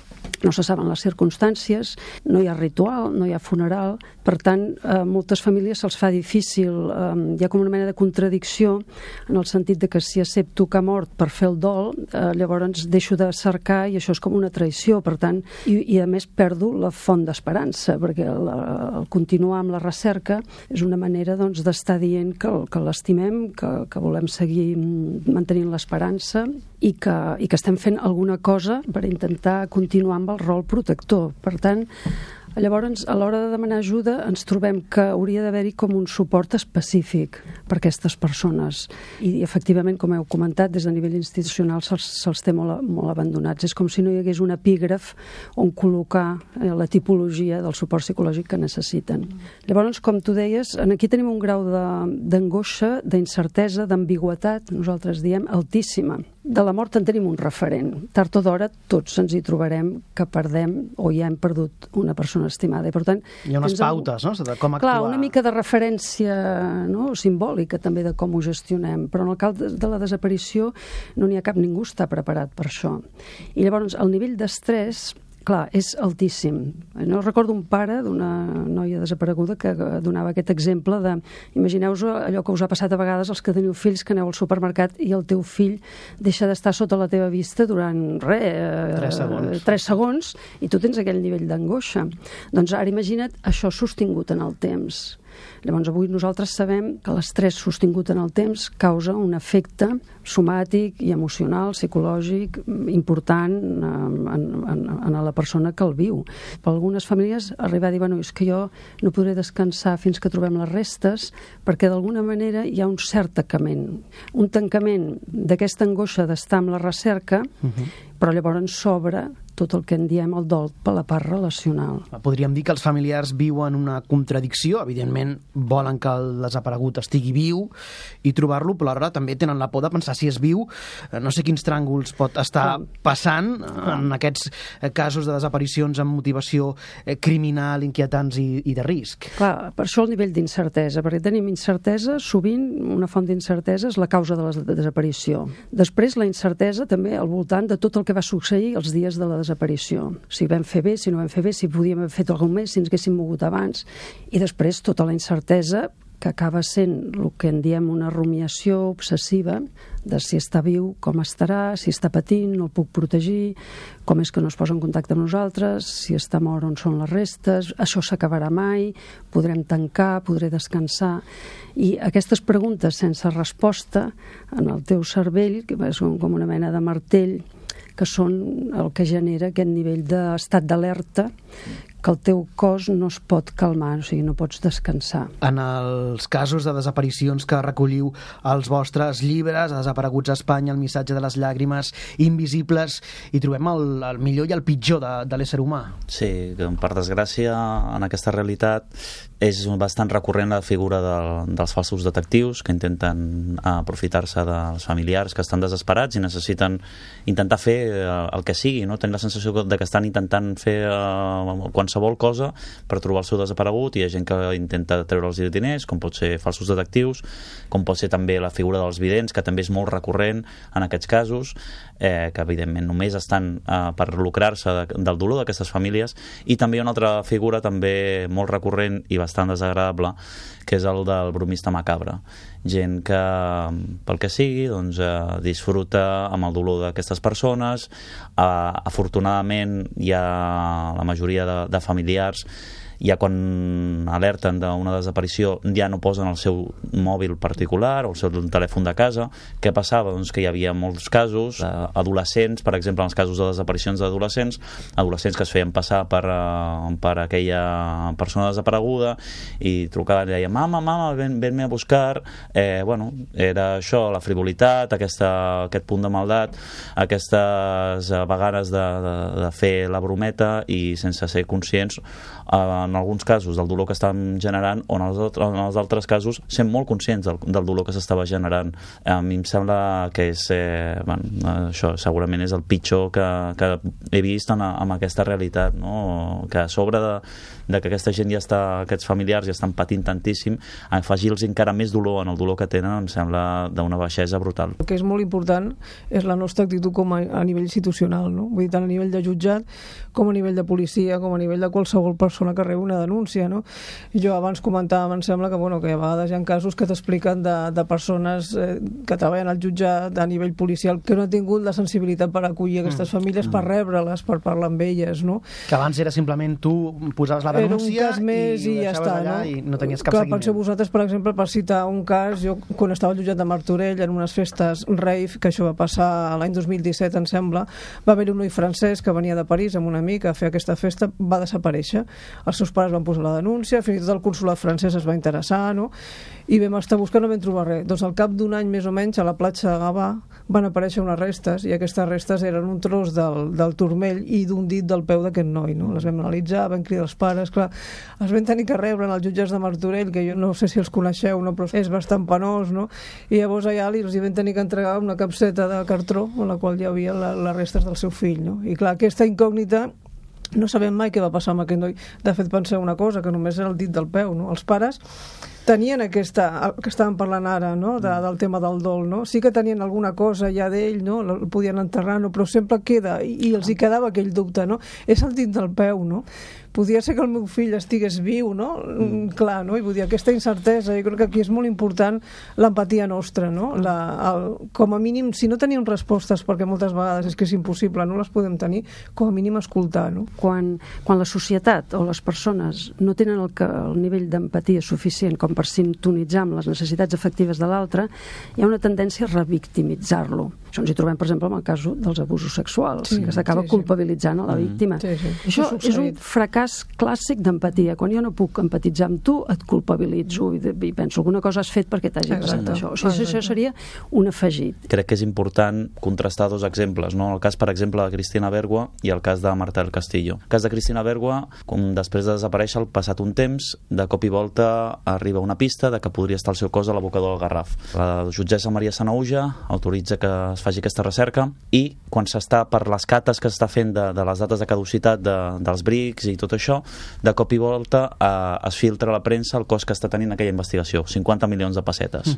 no se saben les circumstàncies, no hi ha ritual, no hi ha funeral. Per tant, a moltes famílies se'ls fa difícil, hi ha com una mena de contradicció en el sentit de que si accepto que ha mort per fer el dol, llavors deixo de cercar i això és com una traïció, per tant, i a més perdo la font d'esperança, perquè el continuar amb la recerca és una manera d'estar dient que l'estimem, que volem seguir mantenint l'esperança i que estem fent alguna cosa per intentar continuar amb el rol protector. Per tant, llavors, a l'hora de demanar ajuda, ens trobem que hauria d'haver-hi com un suport específic per a aquestes persones. I, efectivament, com heu comentat, des de nivell institucional se'ls té molt abandonats. És com si no hi hagués un epígraf on col·locar la tipologia del suport psicològic que necessiten. Llavors, com tu deies, aquí tenim un grau d'angoixa, d'incertesa, d'ambigüitat, nosaltres diem, altíssima. De la mort en tenim un referent. Tard o d'hora tots ens hi trobarem que perdem o ja hem perdut una persona estimada. I, per tant, hi ha unes pautes, no?, de com actuar. Clar, una mica de referència, no?, simbòlica també de com ho gestionem, però en el cas de la desaparició no n'hi ha cap, ningú està preparat per això. I llavors el nivell d'estrès, clar, és altíssim. No recordo un pare d'una noia desapareguda que donava aquest exemple de, imagineu-vos allò que us ha passat a vegades als que teniu fills, que aneu al supermercat i el teu fill deixa d'estar sota la teva vista durant 3 segons i tu tens aquell nivell d'angoixa. Doncs ara imagina't això sostingut en el temps. Llavors avui nosaltres sabem que l'estrès sostingut en el temps causa un efecte somàtic i emocional, psicològic important en la persona que el viu. Per algunes famílies arribar a dir, bueno, és que jo no podré descansar fins que trobem les restes, perquè d'alguna manera hi ha un cert tancament d'aquesta angoixa d'estar amb la recerca, però llavors s'obre tot el que en diem el dol per la part relacional. Podríem dir que els familiars viuen una contradicció. Evidentment volen que el desaparegut estigui viu i trobar-lo, però alhora també tenen la por de pensar si és viu. No sé quins tràngols pot estar passant en aquests casos de desaparicions amb motivació criminal, inquietants i de risc. Clar, per això el nivell d'incertesa, perquè tenim incertesa, sovint una font d'incertesa és la causa de la desaparició. Després la incertesa també al voltant de tot el que va succeir els dies de la desaparició. Si vam fer bé, si no vam fer bé, si podíem haver fet alguna més, si ens haguéssim mogut abans. I després tota la incertesa que acaba sent el que en diem una rumiació obsessiva de si està viu, com estarà, si està patint, no el puc protegir, com és que no es posa en contacte amb nosaltres, si està mort, on són les restes, això s'acabarà mai, podrem tancar, podré descansar. I aquestes preguntes sense resposta en el teu cervell, que és com una mena de martell, que són el que genera aquest nivell d'estat d'alerta que el teu cos no es pot calmar, o sigui, no pots descansar. En els casos de desaparicions que recolliu als vostres llibres, a Desapareguts a Espanya, El missatge de les llàgrimes invisibles, hi trobem el millor i el pitjor de l'ésser humà. Sí, per desgràcia, en aquesta realitat és bastant recurrent la figura dels falsos detectius que intenten aprofitar-se dels familiars que estan desesperats i necessiten intentar fer el que sigui, no? Tenir la sensació de que estan intentant fer qualsevol cosa per trobar el seu desaparegut, i hi ha gent que intenta treure'ls diners, com pot ser falsos detectius, com pot ser també la figura dels vidents, que també és molt recurrent en aquests casos, que evidentment només estan per lucrar-se del dolor d'aquestes famílies. I també una altra figura també molt recurrent i bastant desagradable, que és el del bromista macabre. Gent que, pel que sigui, doncs, disfruta amb el dolor d'aquestes persones. Afortunadament hi ha la majoria de familiars, ja quan alerten d'una desaparició ja no posen el seu mòbil particular o el seu telèfon de casa. Què passava? Doncs que hi havia molts casos adolescents, per exemple, en els casos de desaparicions d'adolescents, adolescents que es feien passar per aquella persona desapareguda i trucaven i deien: mama, ven-me a buscar. Bueno, era això, la frivolitat, aquest punt de maldat, aquestes vegades de fer la brometa i sense ser conscients, en alguns casos, del dolor que estan generant, o en els altres casos sent molt conscients del dolor que s'estava generant. A mi em sembla que és això segurament és el pitjor que he vist amb aquesta realitat, no? Que a sobre de que aquesta gent aquests familiars ja estan patint tantíssim, afegir-los encara més dolor en el dolor que tenen, em sembla d'una baixesa brutal. El que és molt important és la nostra actitud com a nivell institucional, no? Vull dir, tant a nivell de jutjat com a nivell de policia, com a nivell de qualsevol persona que rebi una denúncia, no? Jo abans comentàvem, em sembla que a vegades hi ha casos que t'expliquen de persones que treballen al jutjat a nivell policial que no han tingut la sensibilitat per acollir aquestes famílies, per rebre-les, per parlar amb elles, no? Que abans era simplement tu posaves la denúncia i ja està, allà, no? I no tenies cap seguiment. Penseu vosaltres, per exemple, per citar un cas, jo quan estava al jutjat de Martorell en unes festes rave, que això va passar l'any 2017, em sembla, va haver un noi francès que venia de París amb un amic a fer aquesta festa, va desaparèixer. Els seus pares van posar la denúncia, fins i tot el consolat francès es va interessar, no? I vam estar buscant, no vam trobar res. Doncs al cap d'un any més o menys a la platja de Gavà van aparèixer unes restes, i aquestes restes eren un tros del turmell i d'un dit del peu d'aquest noi, no? Les vam analitzar, vam cridar els pares, clar, els vam tenir que rebre en els jutjats de Martorell, que jo no sé si els coneixeu, no? Però és bastant penós, no? I llavors allà els vam tenir que entregar una capseta de cartró en la qual hi havia les restes del seu fill, no? I clar, aquesta incògnita no sabem mai què va passar amb aquest noi. De fet, penseu una cosa, que només era el dit del peu, no? Els pares tenien que estàvem parlant ara, no? Del tema del dol, no? Sí que tenien alguna cosa ja d'ell, no? El podien enterrar, no? Però sempre queda, i els hi quedava aquell dubte, no? És el dit del peu, no? Podia ser que el meu fill estigués viu, no? Clar, no? I vull dir, aquesta incertesa, jo crec que aquí és molt important l'empatia nostra, no? Com a mínim, si no tenim respostes, perquè moltes vegades és que és impossible, no les podem tenir, com a mínim escoltar, no? Quan la societat o les persones no tenen el nivell d'empatia suficient com per sintonitzar amb les necessitats efectives de l'altre, hi ha una tendència a revictimitzar-lo. Això ens hi trobem, per exemple, en el cas dels abusos sexuals, que s'acaba culpabilitzant a la víctima. Això és un fracàs clàssic d'empatia. Quan jo no puc empatitzar amb tu, et culpabilitzo i penso alguna cosa has fet perquè t'hagi passat això. O sigui, això seria un afegit. Crec que és important contrastar dos exemples, no? El cas, per exemple, de Cristina Bergua i el cas de Marta del Castillo. El cas de Cristina Bergua, com després de desaparèixer al passat un temps, de cop i volta arriba una pista de que podria estar el seu cos a l'abocador del Garraf. La jutgessa Maria Sanaüja autoritza que es faci aquesta recerca, i quan s'està per les cates que s'està fent de les dates de caducitat dels brics i tot això, de cop i volta es filtra a la premsa el cost que està tenint aquella investigació, 50 milions de pessetes,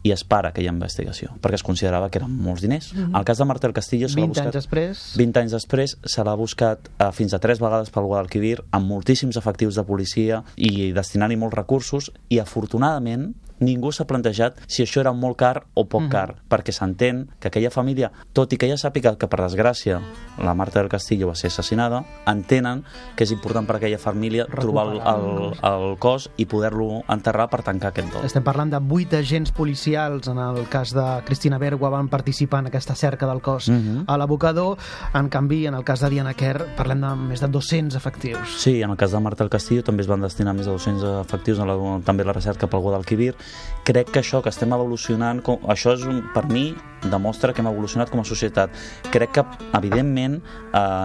i es para aquella investigació, perquè es considerava que eren molts diners. El cas de Marta del Castillo 20 anys després se l'ha buscat fins a 3 vegades pel Guadalquivir, amb moltíssims efectius de policia i destinant-hi molts recursos, i afortunadament ningú s'ha plantejat si això era molt car o poc car, perquè s'entén que aquella família, tot i que ja sàpiga que per desgràcia la Marta del Castillo va ser assassinada, entenen que és important per a aquella família trobar el cos i poder-lo enterrar per tancar aquest dol. Estem parlant de 8 agents policials, en el cas de Cristina Bergua van participar en aquesta cerca del cos a l'abocador, en canvi en el cas de Diana Kerr parlem de més de 200 efectius. Sí, en el cas de Marta del Castillo també es van destinar més de 200 efectius, també la recerca pel Guadalquivir. Crec que això que estem evolucionant, això és per mi demostra que hem evolucionat com a societat. Crec que evidentment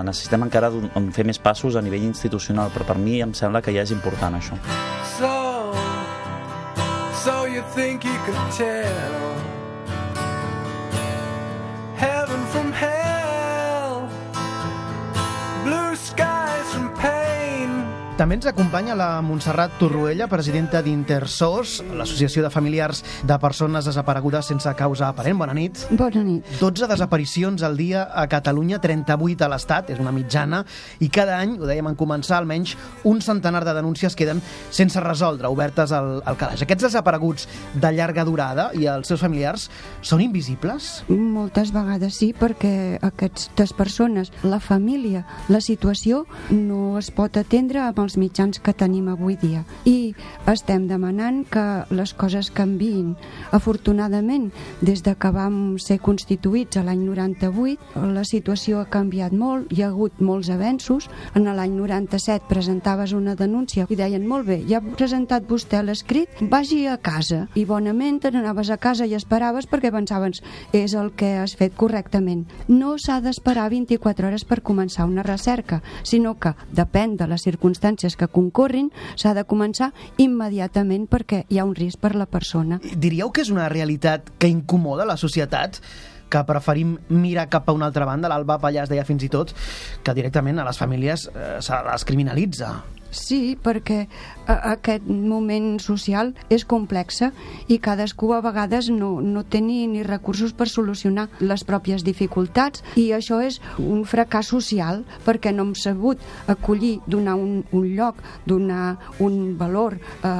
necessitem encara fer més passos a nivell institucional, però per mi em sembla que ja és important això. So you think you could tell heaven from hell, blue skies from pain. També ens acompanya la Montserrat Torroella, presidenta d'Intersos, l'associació de familiars de persones desaparegudes sense causa aparent. Bona nit. Bona nit. 12 desaparicions al dia a Catalunya, 38 a l'Estat, és una mitjana, i cada any, ho dèiem en començar, almenys un centenar de denúncies queden sense resoldre, obertes al calaix. Aquests desapareguts de llarga durada i els seus familiars són invisibles? Moltes vegades sí, perquè aquestes persones, la família, la situació no es pot atendre amb els mitjans que tenim avui dia. I estem demanant que les coses canviïn. Afortunadament, des de que vam ser constituïts a l'any 98, la situació ha canviat molt, hi ha hagut molts avenços. En l'any 97 presentaves una denúncia i deien, molt bé, ja ha presentat vostè l'escrit, vagi a casa. I bonament anaves a casa i esperaves perquè pensaves, és el que has fet correctament. No s'ha d'esperar 24 hores per començar una recerca, sinó que depèn de les circumstàncies que concorrin, s'ha de començar immediatament perquè hi ha un risc per la persona. Diríeu que és una realitat que incomoda la societat? Que preferim mirar cap a una altra banda? L'Alba Pallàs deia fins i tot que directament a les famílies se les criminalitza. Sí, perquè aquest moment social és complexa i cadascú a vegades no té ni recursos per solucionar les pròpies dificultats, i això és un fracàs social perquè no hem sabut acollir, donar un lloc, donar un valor,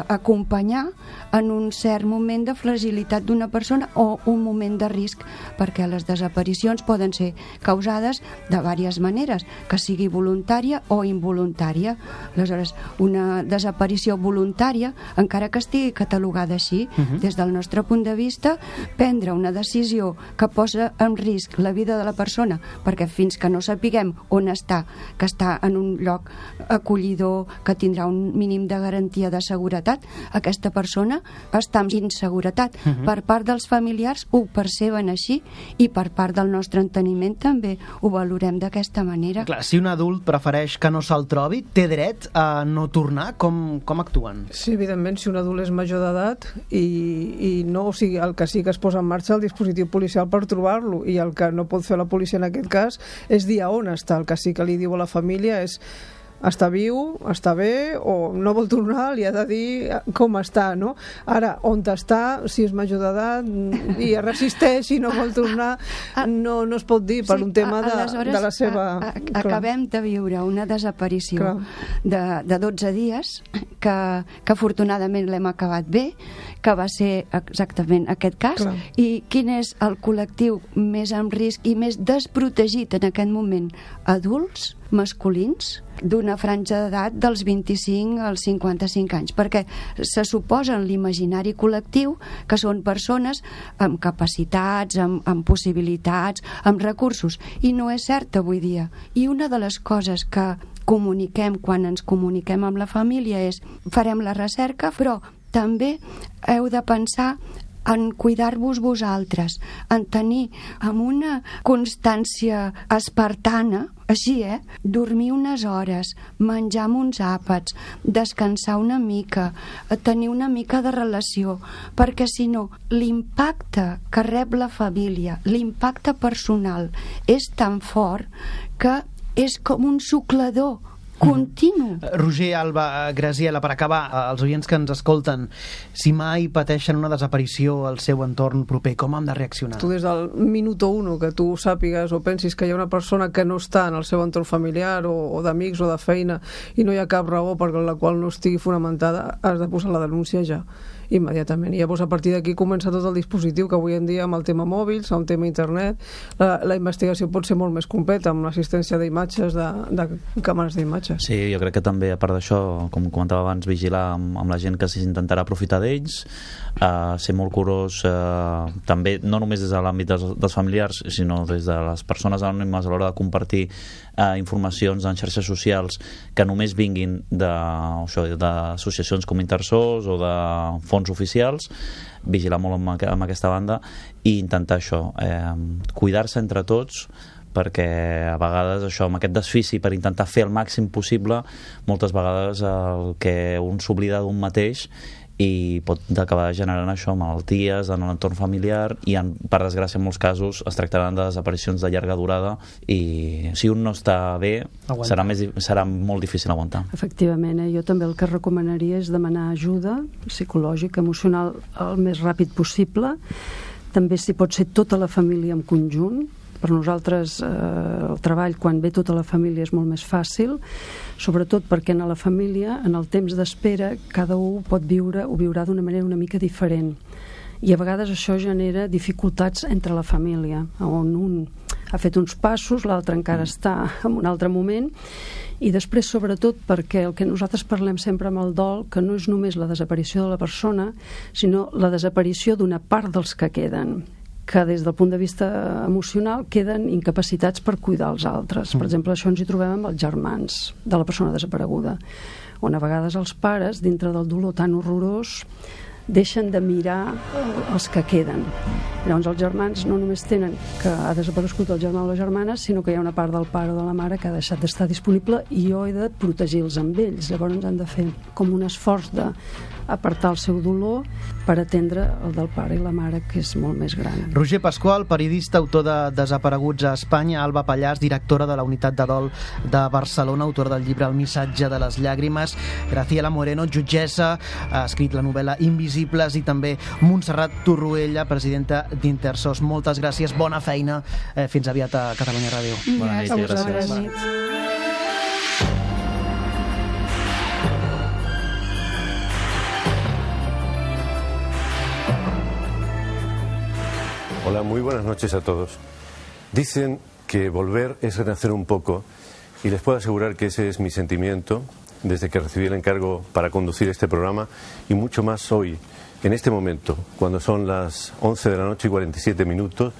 acompanyar en un cert moment de fragilitat d'una persona o un moment de risc, perquè les desaparicions poden ser causades de diverses maneres, que sigui voluntària o involuntària. Aleshores, una desaparició voluntària, encara que estigui catalogada així, des del nostre punt de vista, prendre una decisió que posa en risc la vida de la persona, perquè fins que no sapiguem on està, que està en un lloc acollidor, que tindrà un mínim de garantia de seguretat, aquesta persona està en inseguretat. Per part dels familiars ho perceben així i per part del nostre enteniment també ho valorem d'aquesta manera. Clar, si un adult prefereix que no se'l trobi, té dret a no tornar? Com actuen? Sí, evidentment, si un adult és major d'edat i no, o sigui, el que sí que es posa en marxa el dispositiu policial per trobar-lo, i el que no pot fer la policia en aquest cas és dir a on està. El que sí que li diu a la família és està viu, està bé, o no vol tornar, li ha de dir com està, no? Ara, on està, si és major d'edat i es resisteix i no vol tornar, no es pot dir per un tema de la seva... Acabem de viure una desaparició de 12 dies que afortunadament l'hem acabat bé, que va ser exactament aquest cas. I quin és el col·lectiu més en risc i més desprotegit en aquest moment? Adults, masculins, d'una franja d'edat dels 25 als 55 anys, perquè se suposa en l'imaginari col·lectiu que són persones amb capacitats, amb possibilitats, amb recursos, i no és cert avui dia. I una de les coses que comuniquem quan ens comuniquem amb la família és farem la recerca, però també heu de pensar en cuidar-vos vosaltres, en tenir amb una constància espartana, així, dormir unes hores, menjar amb uns àpats, descansar una mica, tenir una mica de relació, perquè si no, l'impacte que rep la família, l'impacte personal, és tan fort que és com un suclador continu. Roger, Alba, Graziela, per acabar, els oients que ens escolten, si mai pateixen una desaparició al seu entorn proper, com han de reaccionar? Tu des del minut 1 que tu sàpigues o pensis que hi ha una persona que no està en el seu entorn familiar o d'amics o de feina i no hi ha cap raó per la qual no estigui fonamentada, has de posar la denúncia ja. immediatament. I llavors a partir d'aquí comença tot el dispositiu que avui en dia amb el tema mòbils, amb el tema internet, la investigació pot ser molt més completa amb l'assistència d'imatges, de càmeres d'imatges. Sí, jo crec que també a part d'això, com comentava abans, vigilar amb la gent que s'intentarà aprofitar d'ells, ser molt curós també, no només des de l'àmbit dels familiars, sinó des de les persones anònimes a l'hora de compartir informacions en xarxes socials que només vinguin d'associacions com Intersos o de fons oficials, vigilar molt amb aquesta banda i intentar això, cuidar-se entre tots, perquè a vegades això, amb aquest desfici per intentar fer el màxim possible, moltes vegades el que un s'oblida d'un mateix i pot acabar generant això, malalties en l'entorn familiar i per desgràcia en molts casos es tractaran de desaparicions de llarga durada i si un no està bé serà molt difícil aguantar. Efectivament, jo també el que recomanaria és demanar ajuda psicològica, emocional el més ràpid possible, també si pot ser tota la família en conjunt. Per nosaltres el treball quan ve tota la família és molt més fàcil, sobretot perquè en la família, en el temps d'espera, cada un ho viurà d'una manera una mica diferent. I a vegades això genera dificultats entre la família, on un ha fet uns passos, l'altre encara està en un altre moment, i després sobretot perquè el que nosaltres parlem sempre amb el dol, que no és només la desaparició de la persona, sinó la desaparició d'una part dels que queden, que des del punt de vista emocional queden incapacitats per cuidar els altres. Per exemple, això ens hi trobem amb els germans de la persona desapareguda, on a vegades els pares, dintre del dolor tan horrorós, deixen de mirar els que queden. Llavors els germans no només tenen que ha desaparegut el germà o la germana, sinó que hi ha una part del pare o de la mare que ha deixat d'estar disponible i jo he de protegir-los amb ells. Llavors han de fer com un esforç d'apartar el seu dolor per atendre el del pare i la mare, que és molt més gran. Roger Pasqual, periodista, autor de Desapareguts a Espanya, Alba Pallàs, directora de la Unitat de Dol de Barcelona, autora del llibre El missatge de les llàgrimes, Graciela Moreno, jutgessa, ha escrit la novel·la Invisibles, i també Montserrat Torroella, presidenta d'Intersos. Moltes gràcies, bona feina, fins aviat a Catalunya Ràdio. Bona nit, gràcies. Bona nit. Hola, muy buenas noches a todos. Dicen que volver es renacer un poco y les puedo asegurar que ese es mi sentimiento desde que recibí el encargo para conducir este programa y mucho más hoy, en este momento, cuando son las 11 de la noche y 47 minutos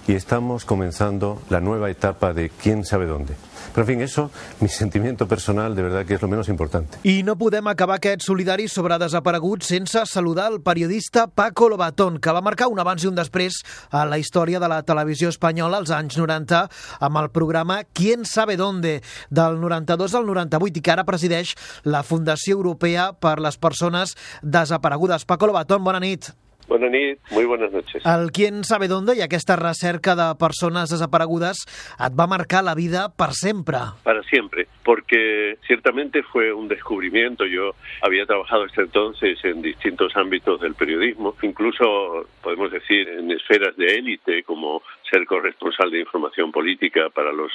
y estamos comenzando la nueva etapa de quién sabe dónde. Però, en fi, eso, mi sentimiento personal, de verdad que es lo menos importante. I no podem acabar aquest solidari sobre desapareguts sense saludar el periodista Paco Lobatón, que va marcar un abans i un després a la història de la televisió espanyola als anys 90 amb el programa Quién sabe dónde, del 92 al 98, i que ara presideix la Fundació Europea per les Persones Desaparegudes. Paco Lobatón, bona nit. Buenas noches, muy buenas noches. El Quién sabe dónde i aquesta recerca de persones desaparegudes et va marcar la vida per sempre. Para siempre, porque ciertamente fue un descubrimiento. Yo había trabajado hasta entonces en distintos ámbitos del periodismo, incluso podemos decir en esferas de élite, como ser corresponsal de información política para los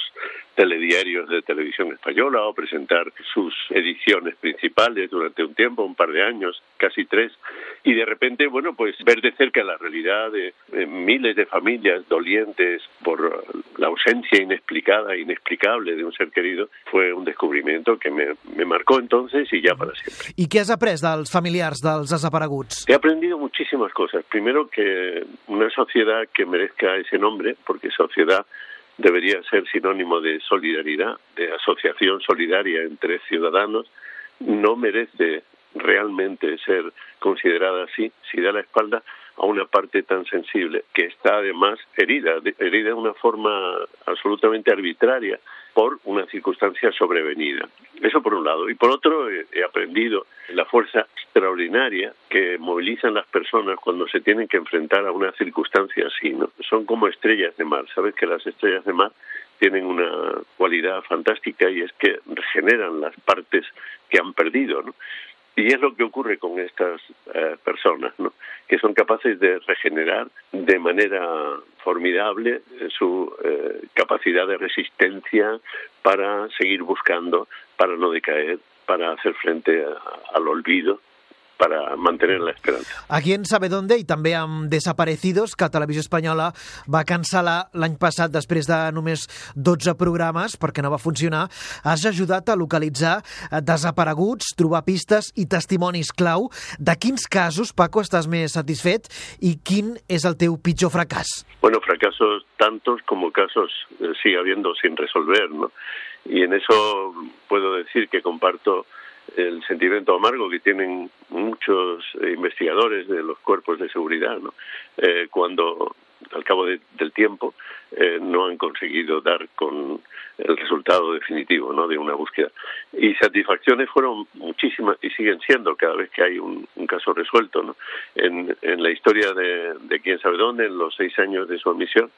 telediarios de televisión española o presentar sus ediciones principales durante un tiempo, un par de años, casi 3, y de repente, bueno, pues ver de cerca la realidad de miles de familias dolientes por la ausencia inexplicada, inexplicable de un ser querido, fue un descubrimiento que me marcó entonces y ya para siempre. I què has après dels familiars dels desapareguts? He aprendido muchísimas cosas. Primero, que una sociedad que merezca ese nombre, porque sociedad debería ser sinónimo de solidaridad, de asociación solidaria entre ciudadanos, no merece realmente ser considerada así si da la espalda a una parte tan sensible, que está además herida de una forma absolutamente arbitraria por una circunstancia sobrevenida. Eso por un lado. Y por otro, he aprendido la fuerza extraordinaria que movilizan las personas cuando se tienen que enfrentar a una circunstancia así, ¿no? Son como estrellas de mar. Sabes que las estrellas de mar tienen una cualidad fantástica y es que regeneran las partes que han perdido, ¿no? Y es lo que ocurre con estas personas, ¿no? Que son capaces de regenerar de manera formidable su capacidad de resistencia para seguir buscando, para no decaer, para hacer frente al olvido, para mantener la esperanza. Aquí en Sabe Dónde i també amb Desaparecidos, que Televisió Espanyola va cancel·lar l'any passat després de només 12 programes perquè no va funcionar, has ajudat a localitzar desapareguts, trobar pistes i testimonis clau. De quins casos, Paco, estàs més satisfet i quin és el teu pitjor fracàs? Bueno, fracasos tantos como casos sigue habiendo sin resolver, ¿no? Y en eso puedo decir que comparto el sentimiento amargo que tienen muchos investigadores de los cuerpos de seguridad, ¿no? Cuando al cabo del tiempo no han conseguido dar con el resultado definitivo, ¿no?, de una búsqueda. Y satisfacciones fueron muchísimas y siguen siendo cada vez que hay un caso resuelto, ¿no? En la historia de quién sabe dónde, en los 6 años de su admisión,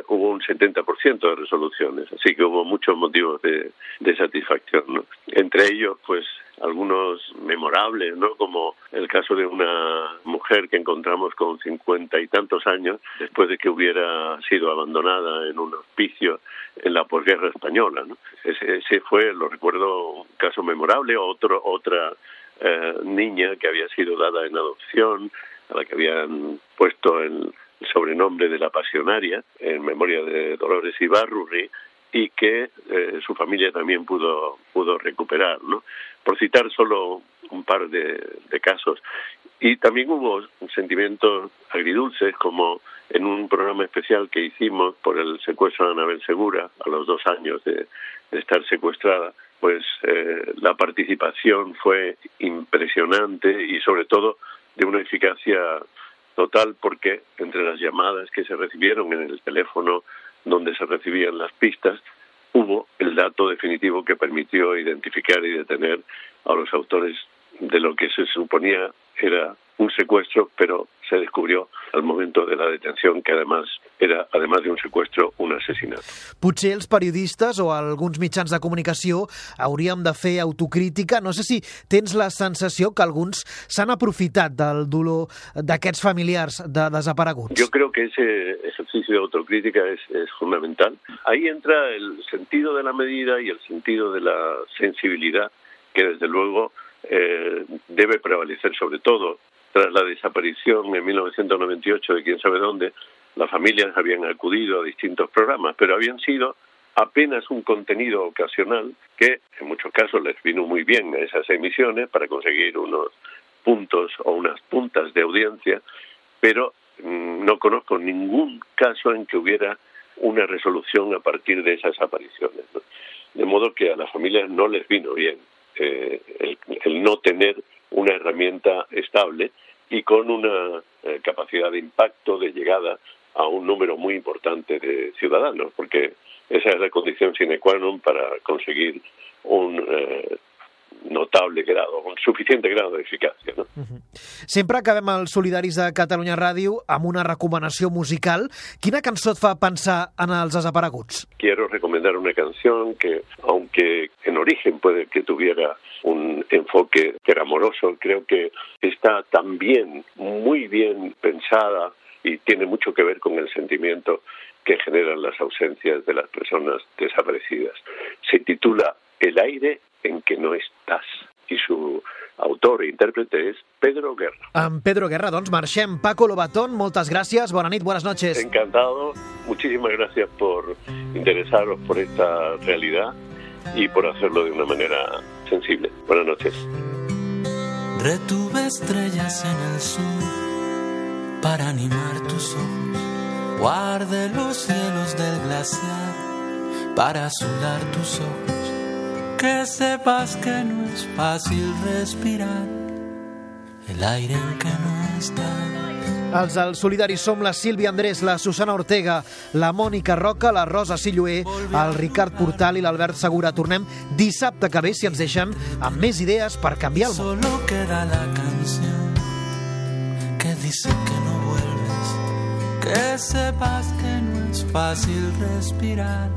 hubo un 70% de resoluciones, así que hubo muchos motivos de satisfacción, ¿no? Entre ellos, pues, algunos memorables, ¿no?, como el caso de una mujer que encontramos con 50 y tantos años después de que hubiera sido abandonada en un hospicio en la posguerra española, ¿no? Ese fue, lo recuerdo, un caso memorable. Otra niña que había sido dada en adopción, a la que habían puesto el sobrenombre de la Pasionaria, en memoria de Dolores Ibarrurri, y que su familia también pudo recuperar, ¿no? Por citar solo un par de casos. Y también hubo sentimientos agridulces, como en un programa especial que hicimos por el secuestro de Anabel Segura, a los 2 años de estar secuestrada, pues la participación fue impresionante y sobre todo de una eficacia total, porque entre las llamadas que se recibieron en el teléfono donde se recibían las pistas, hubo el dato definitivo que permitió identificar y detener a los autores de lo que se suponía era un secuestro, pero se descubrió al momento de la detención que además era, además de un secuestro, un asesinato. Potser els periodistes o alguns mitjans de comunicació hauríem de fer autocrítica. No sé si tens la sensació que alguns s'han aprofitat del dolor d'aquests familiars de desapareguts. Yo creo que ese ejercicio de autocrítica es fundamental. Ahí entra el sentido de la medida y el sentido de la sensibilidad que desde luego debe prevalecer sobre todo. Tras la desaparición en 1998 de quién sabe dónde, las familias habían acudido a distintos programas, pero habían sido apenas un contenido ocasional que en muchos casos les vino muy bien a esas emisiones para conseguir unos puntos o unas puntas de audiencia, pero no conozco ningún caso en que hubiera una resolución a partir de esas apariciones, ¿no? De modo que a las familias no les vino bien el no tener una herramienta estable y con una capacidad de impacto, de llegada a un número muy importante de ciudadanos, porque esa es la condición sine qua non para conseguir un notable grado, un suficiente grado de eficacia, ¿no? Sempre acabem els Solidaris de Catalunya Ràdio amb una recomanació musical. Quina cançó et fa pensar en els desapareguts? Quiero recomendar una canción que, aunque en origen puede que tuviera un enfoque amoroso, creo que está también muy bien pensada y tiene mucho que ver con el sentimiento que generan las ausencias de las personas desaparecidas. Se titula El aire en que no estás y su autor e intérprete es Pedro Guerra. Amb Pedro Guerra, doncs marxem. Paco Lobatón, moltes gràcies, bona nit, buenas noches. Encantado, muchísimas gracias por interesaros por esta realidad y por hacerlo de una manera sensible. Buenas noches. Retuve estrellas en el sur para animar tus ojos. Guardé los cielos del glaciar para azular tus ojos. Que sepas que no es fácil respirar el aire en que no estás. Els solidaris som la Sílvia Andrés, la Susana Ortega, la Mònica Roca, la Rosa Silloé, el Ricard Portal i l'Albert Segura. Tornem dissabte que ve, si ens deixen, amb més idees per canviar el món. Solo queda la canción que dice que no vuelves. Que sepas que no es fácil respirar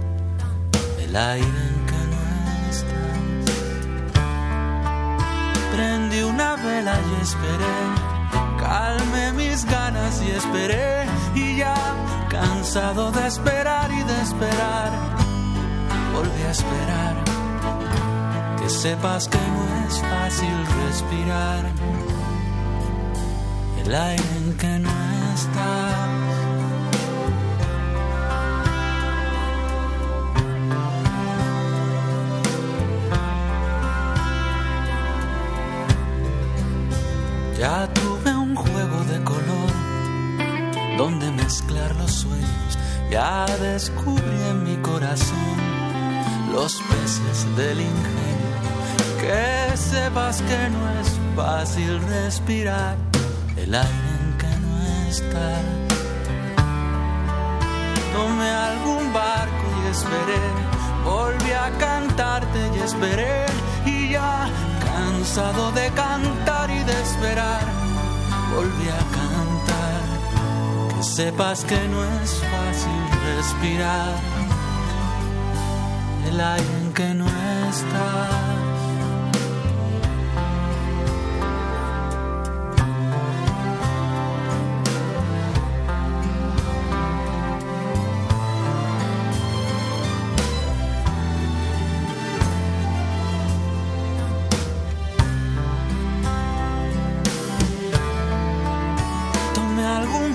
el aire en que no estás. Prendí una vela y esperé, calmé mis ganas y esperé, y ya cansado de esperar y de esperar, volví a esperar. Que sepas que no es fácil respirar el aire en que no estás. Ya tuve un juego de color donde mezclar los sueños. Ya descubrí en mi corazón los peces del ingenio. Que sepas que no es fácil respirar el aire en que no está. Tomé algún barco y esperé, volví a cantarte y esperé, y ya cansado de cantar y de esperar, volví a cantar. Que sepas que no es fácil respirar el aire en que no estás.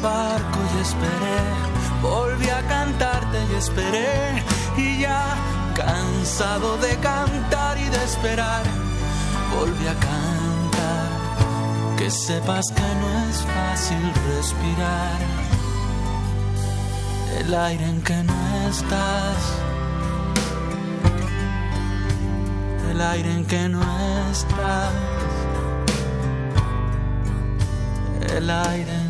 Barco y esperé, volví a cantarte y esperé, y ya cansado de cantar y de esperar, volví a cantar. Que sepas que no es fácil respirar el aire en que no estás, el aire en que no estás, el aire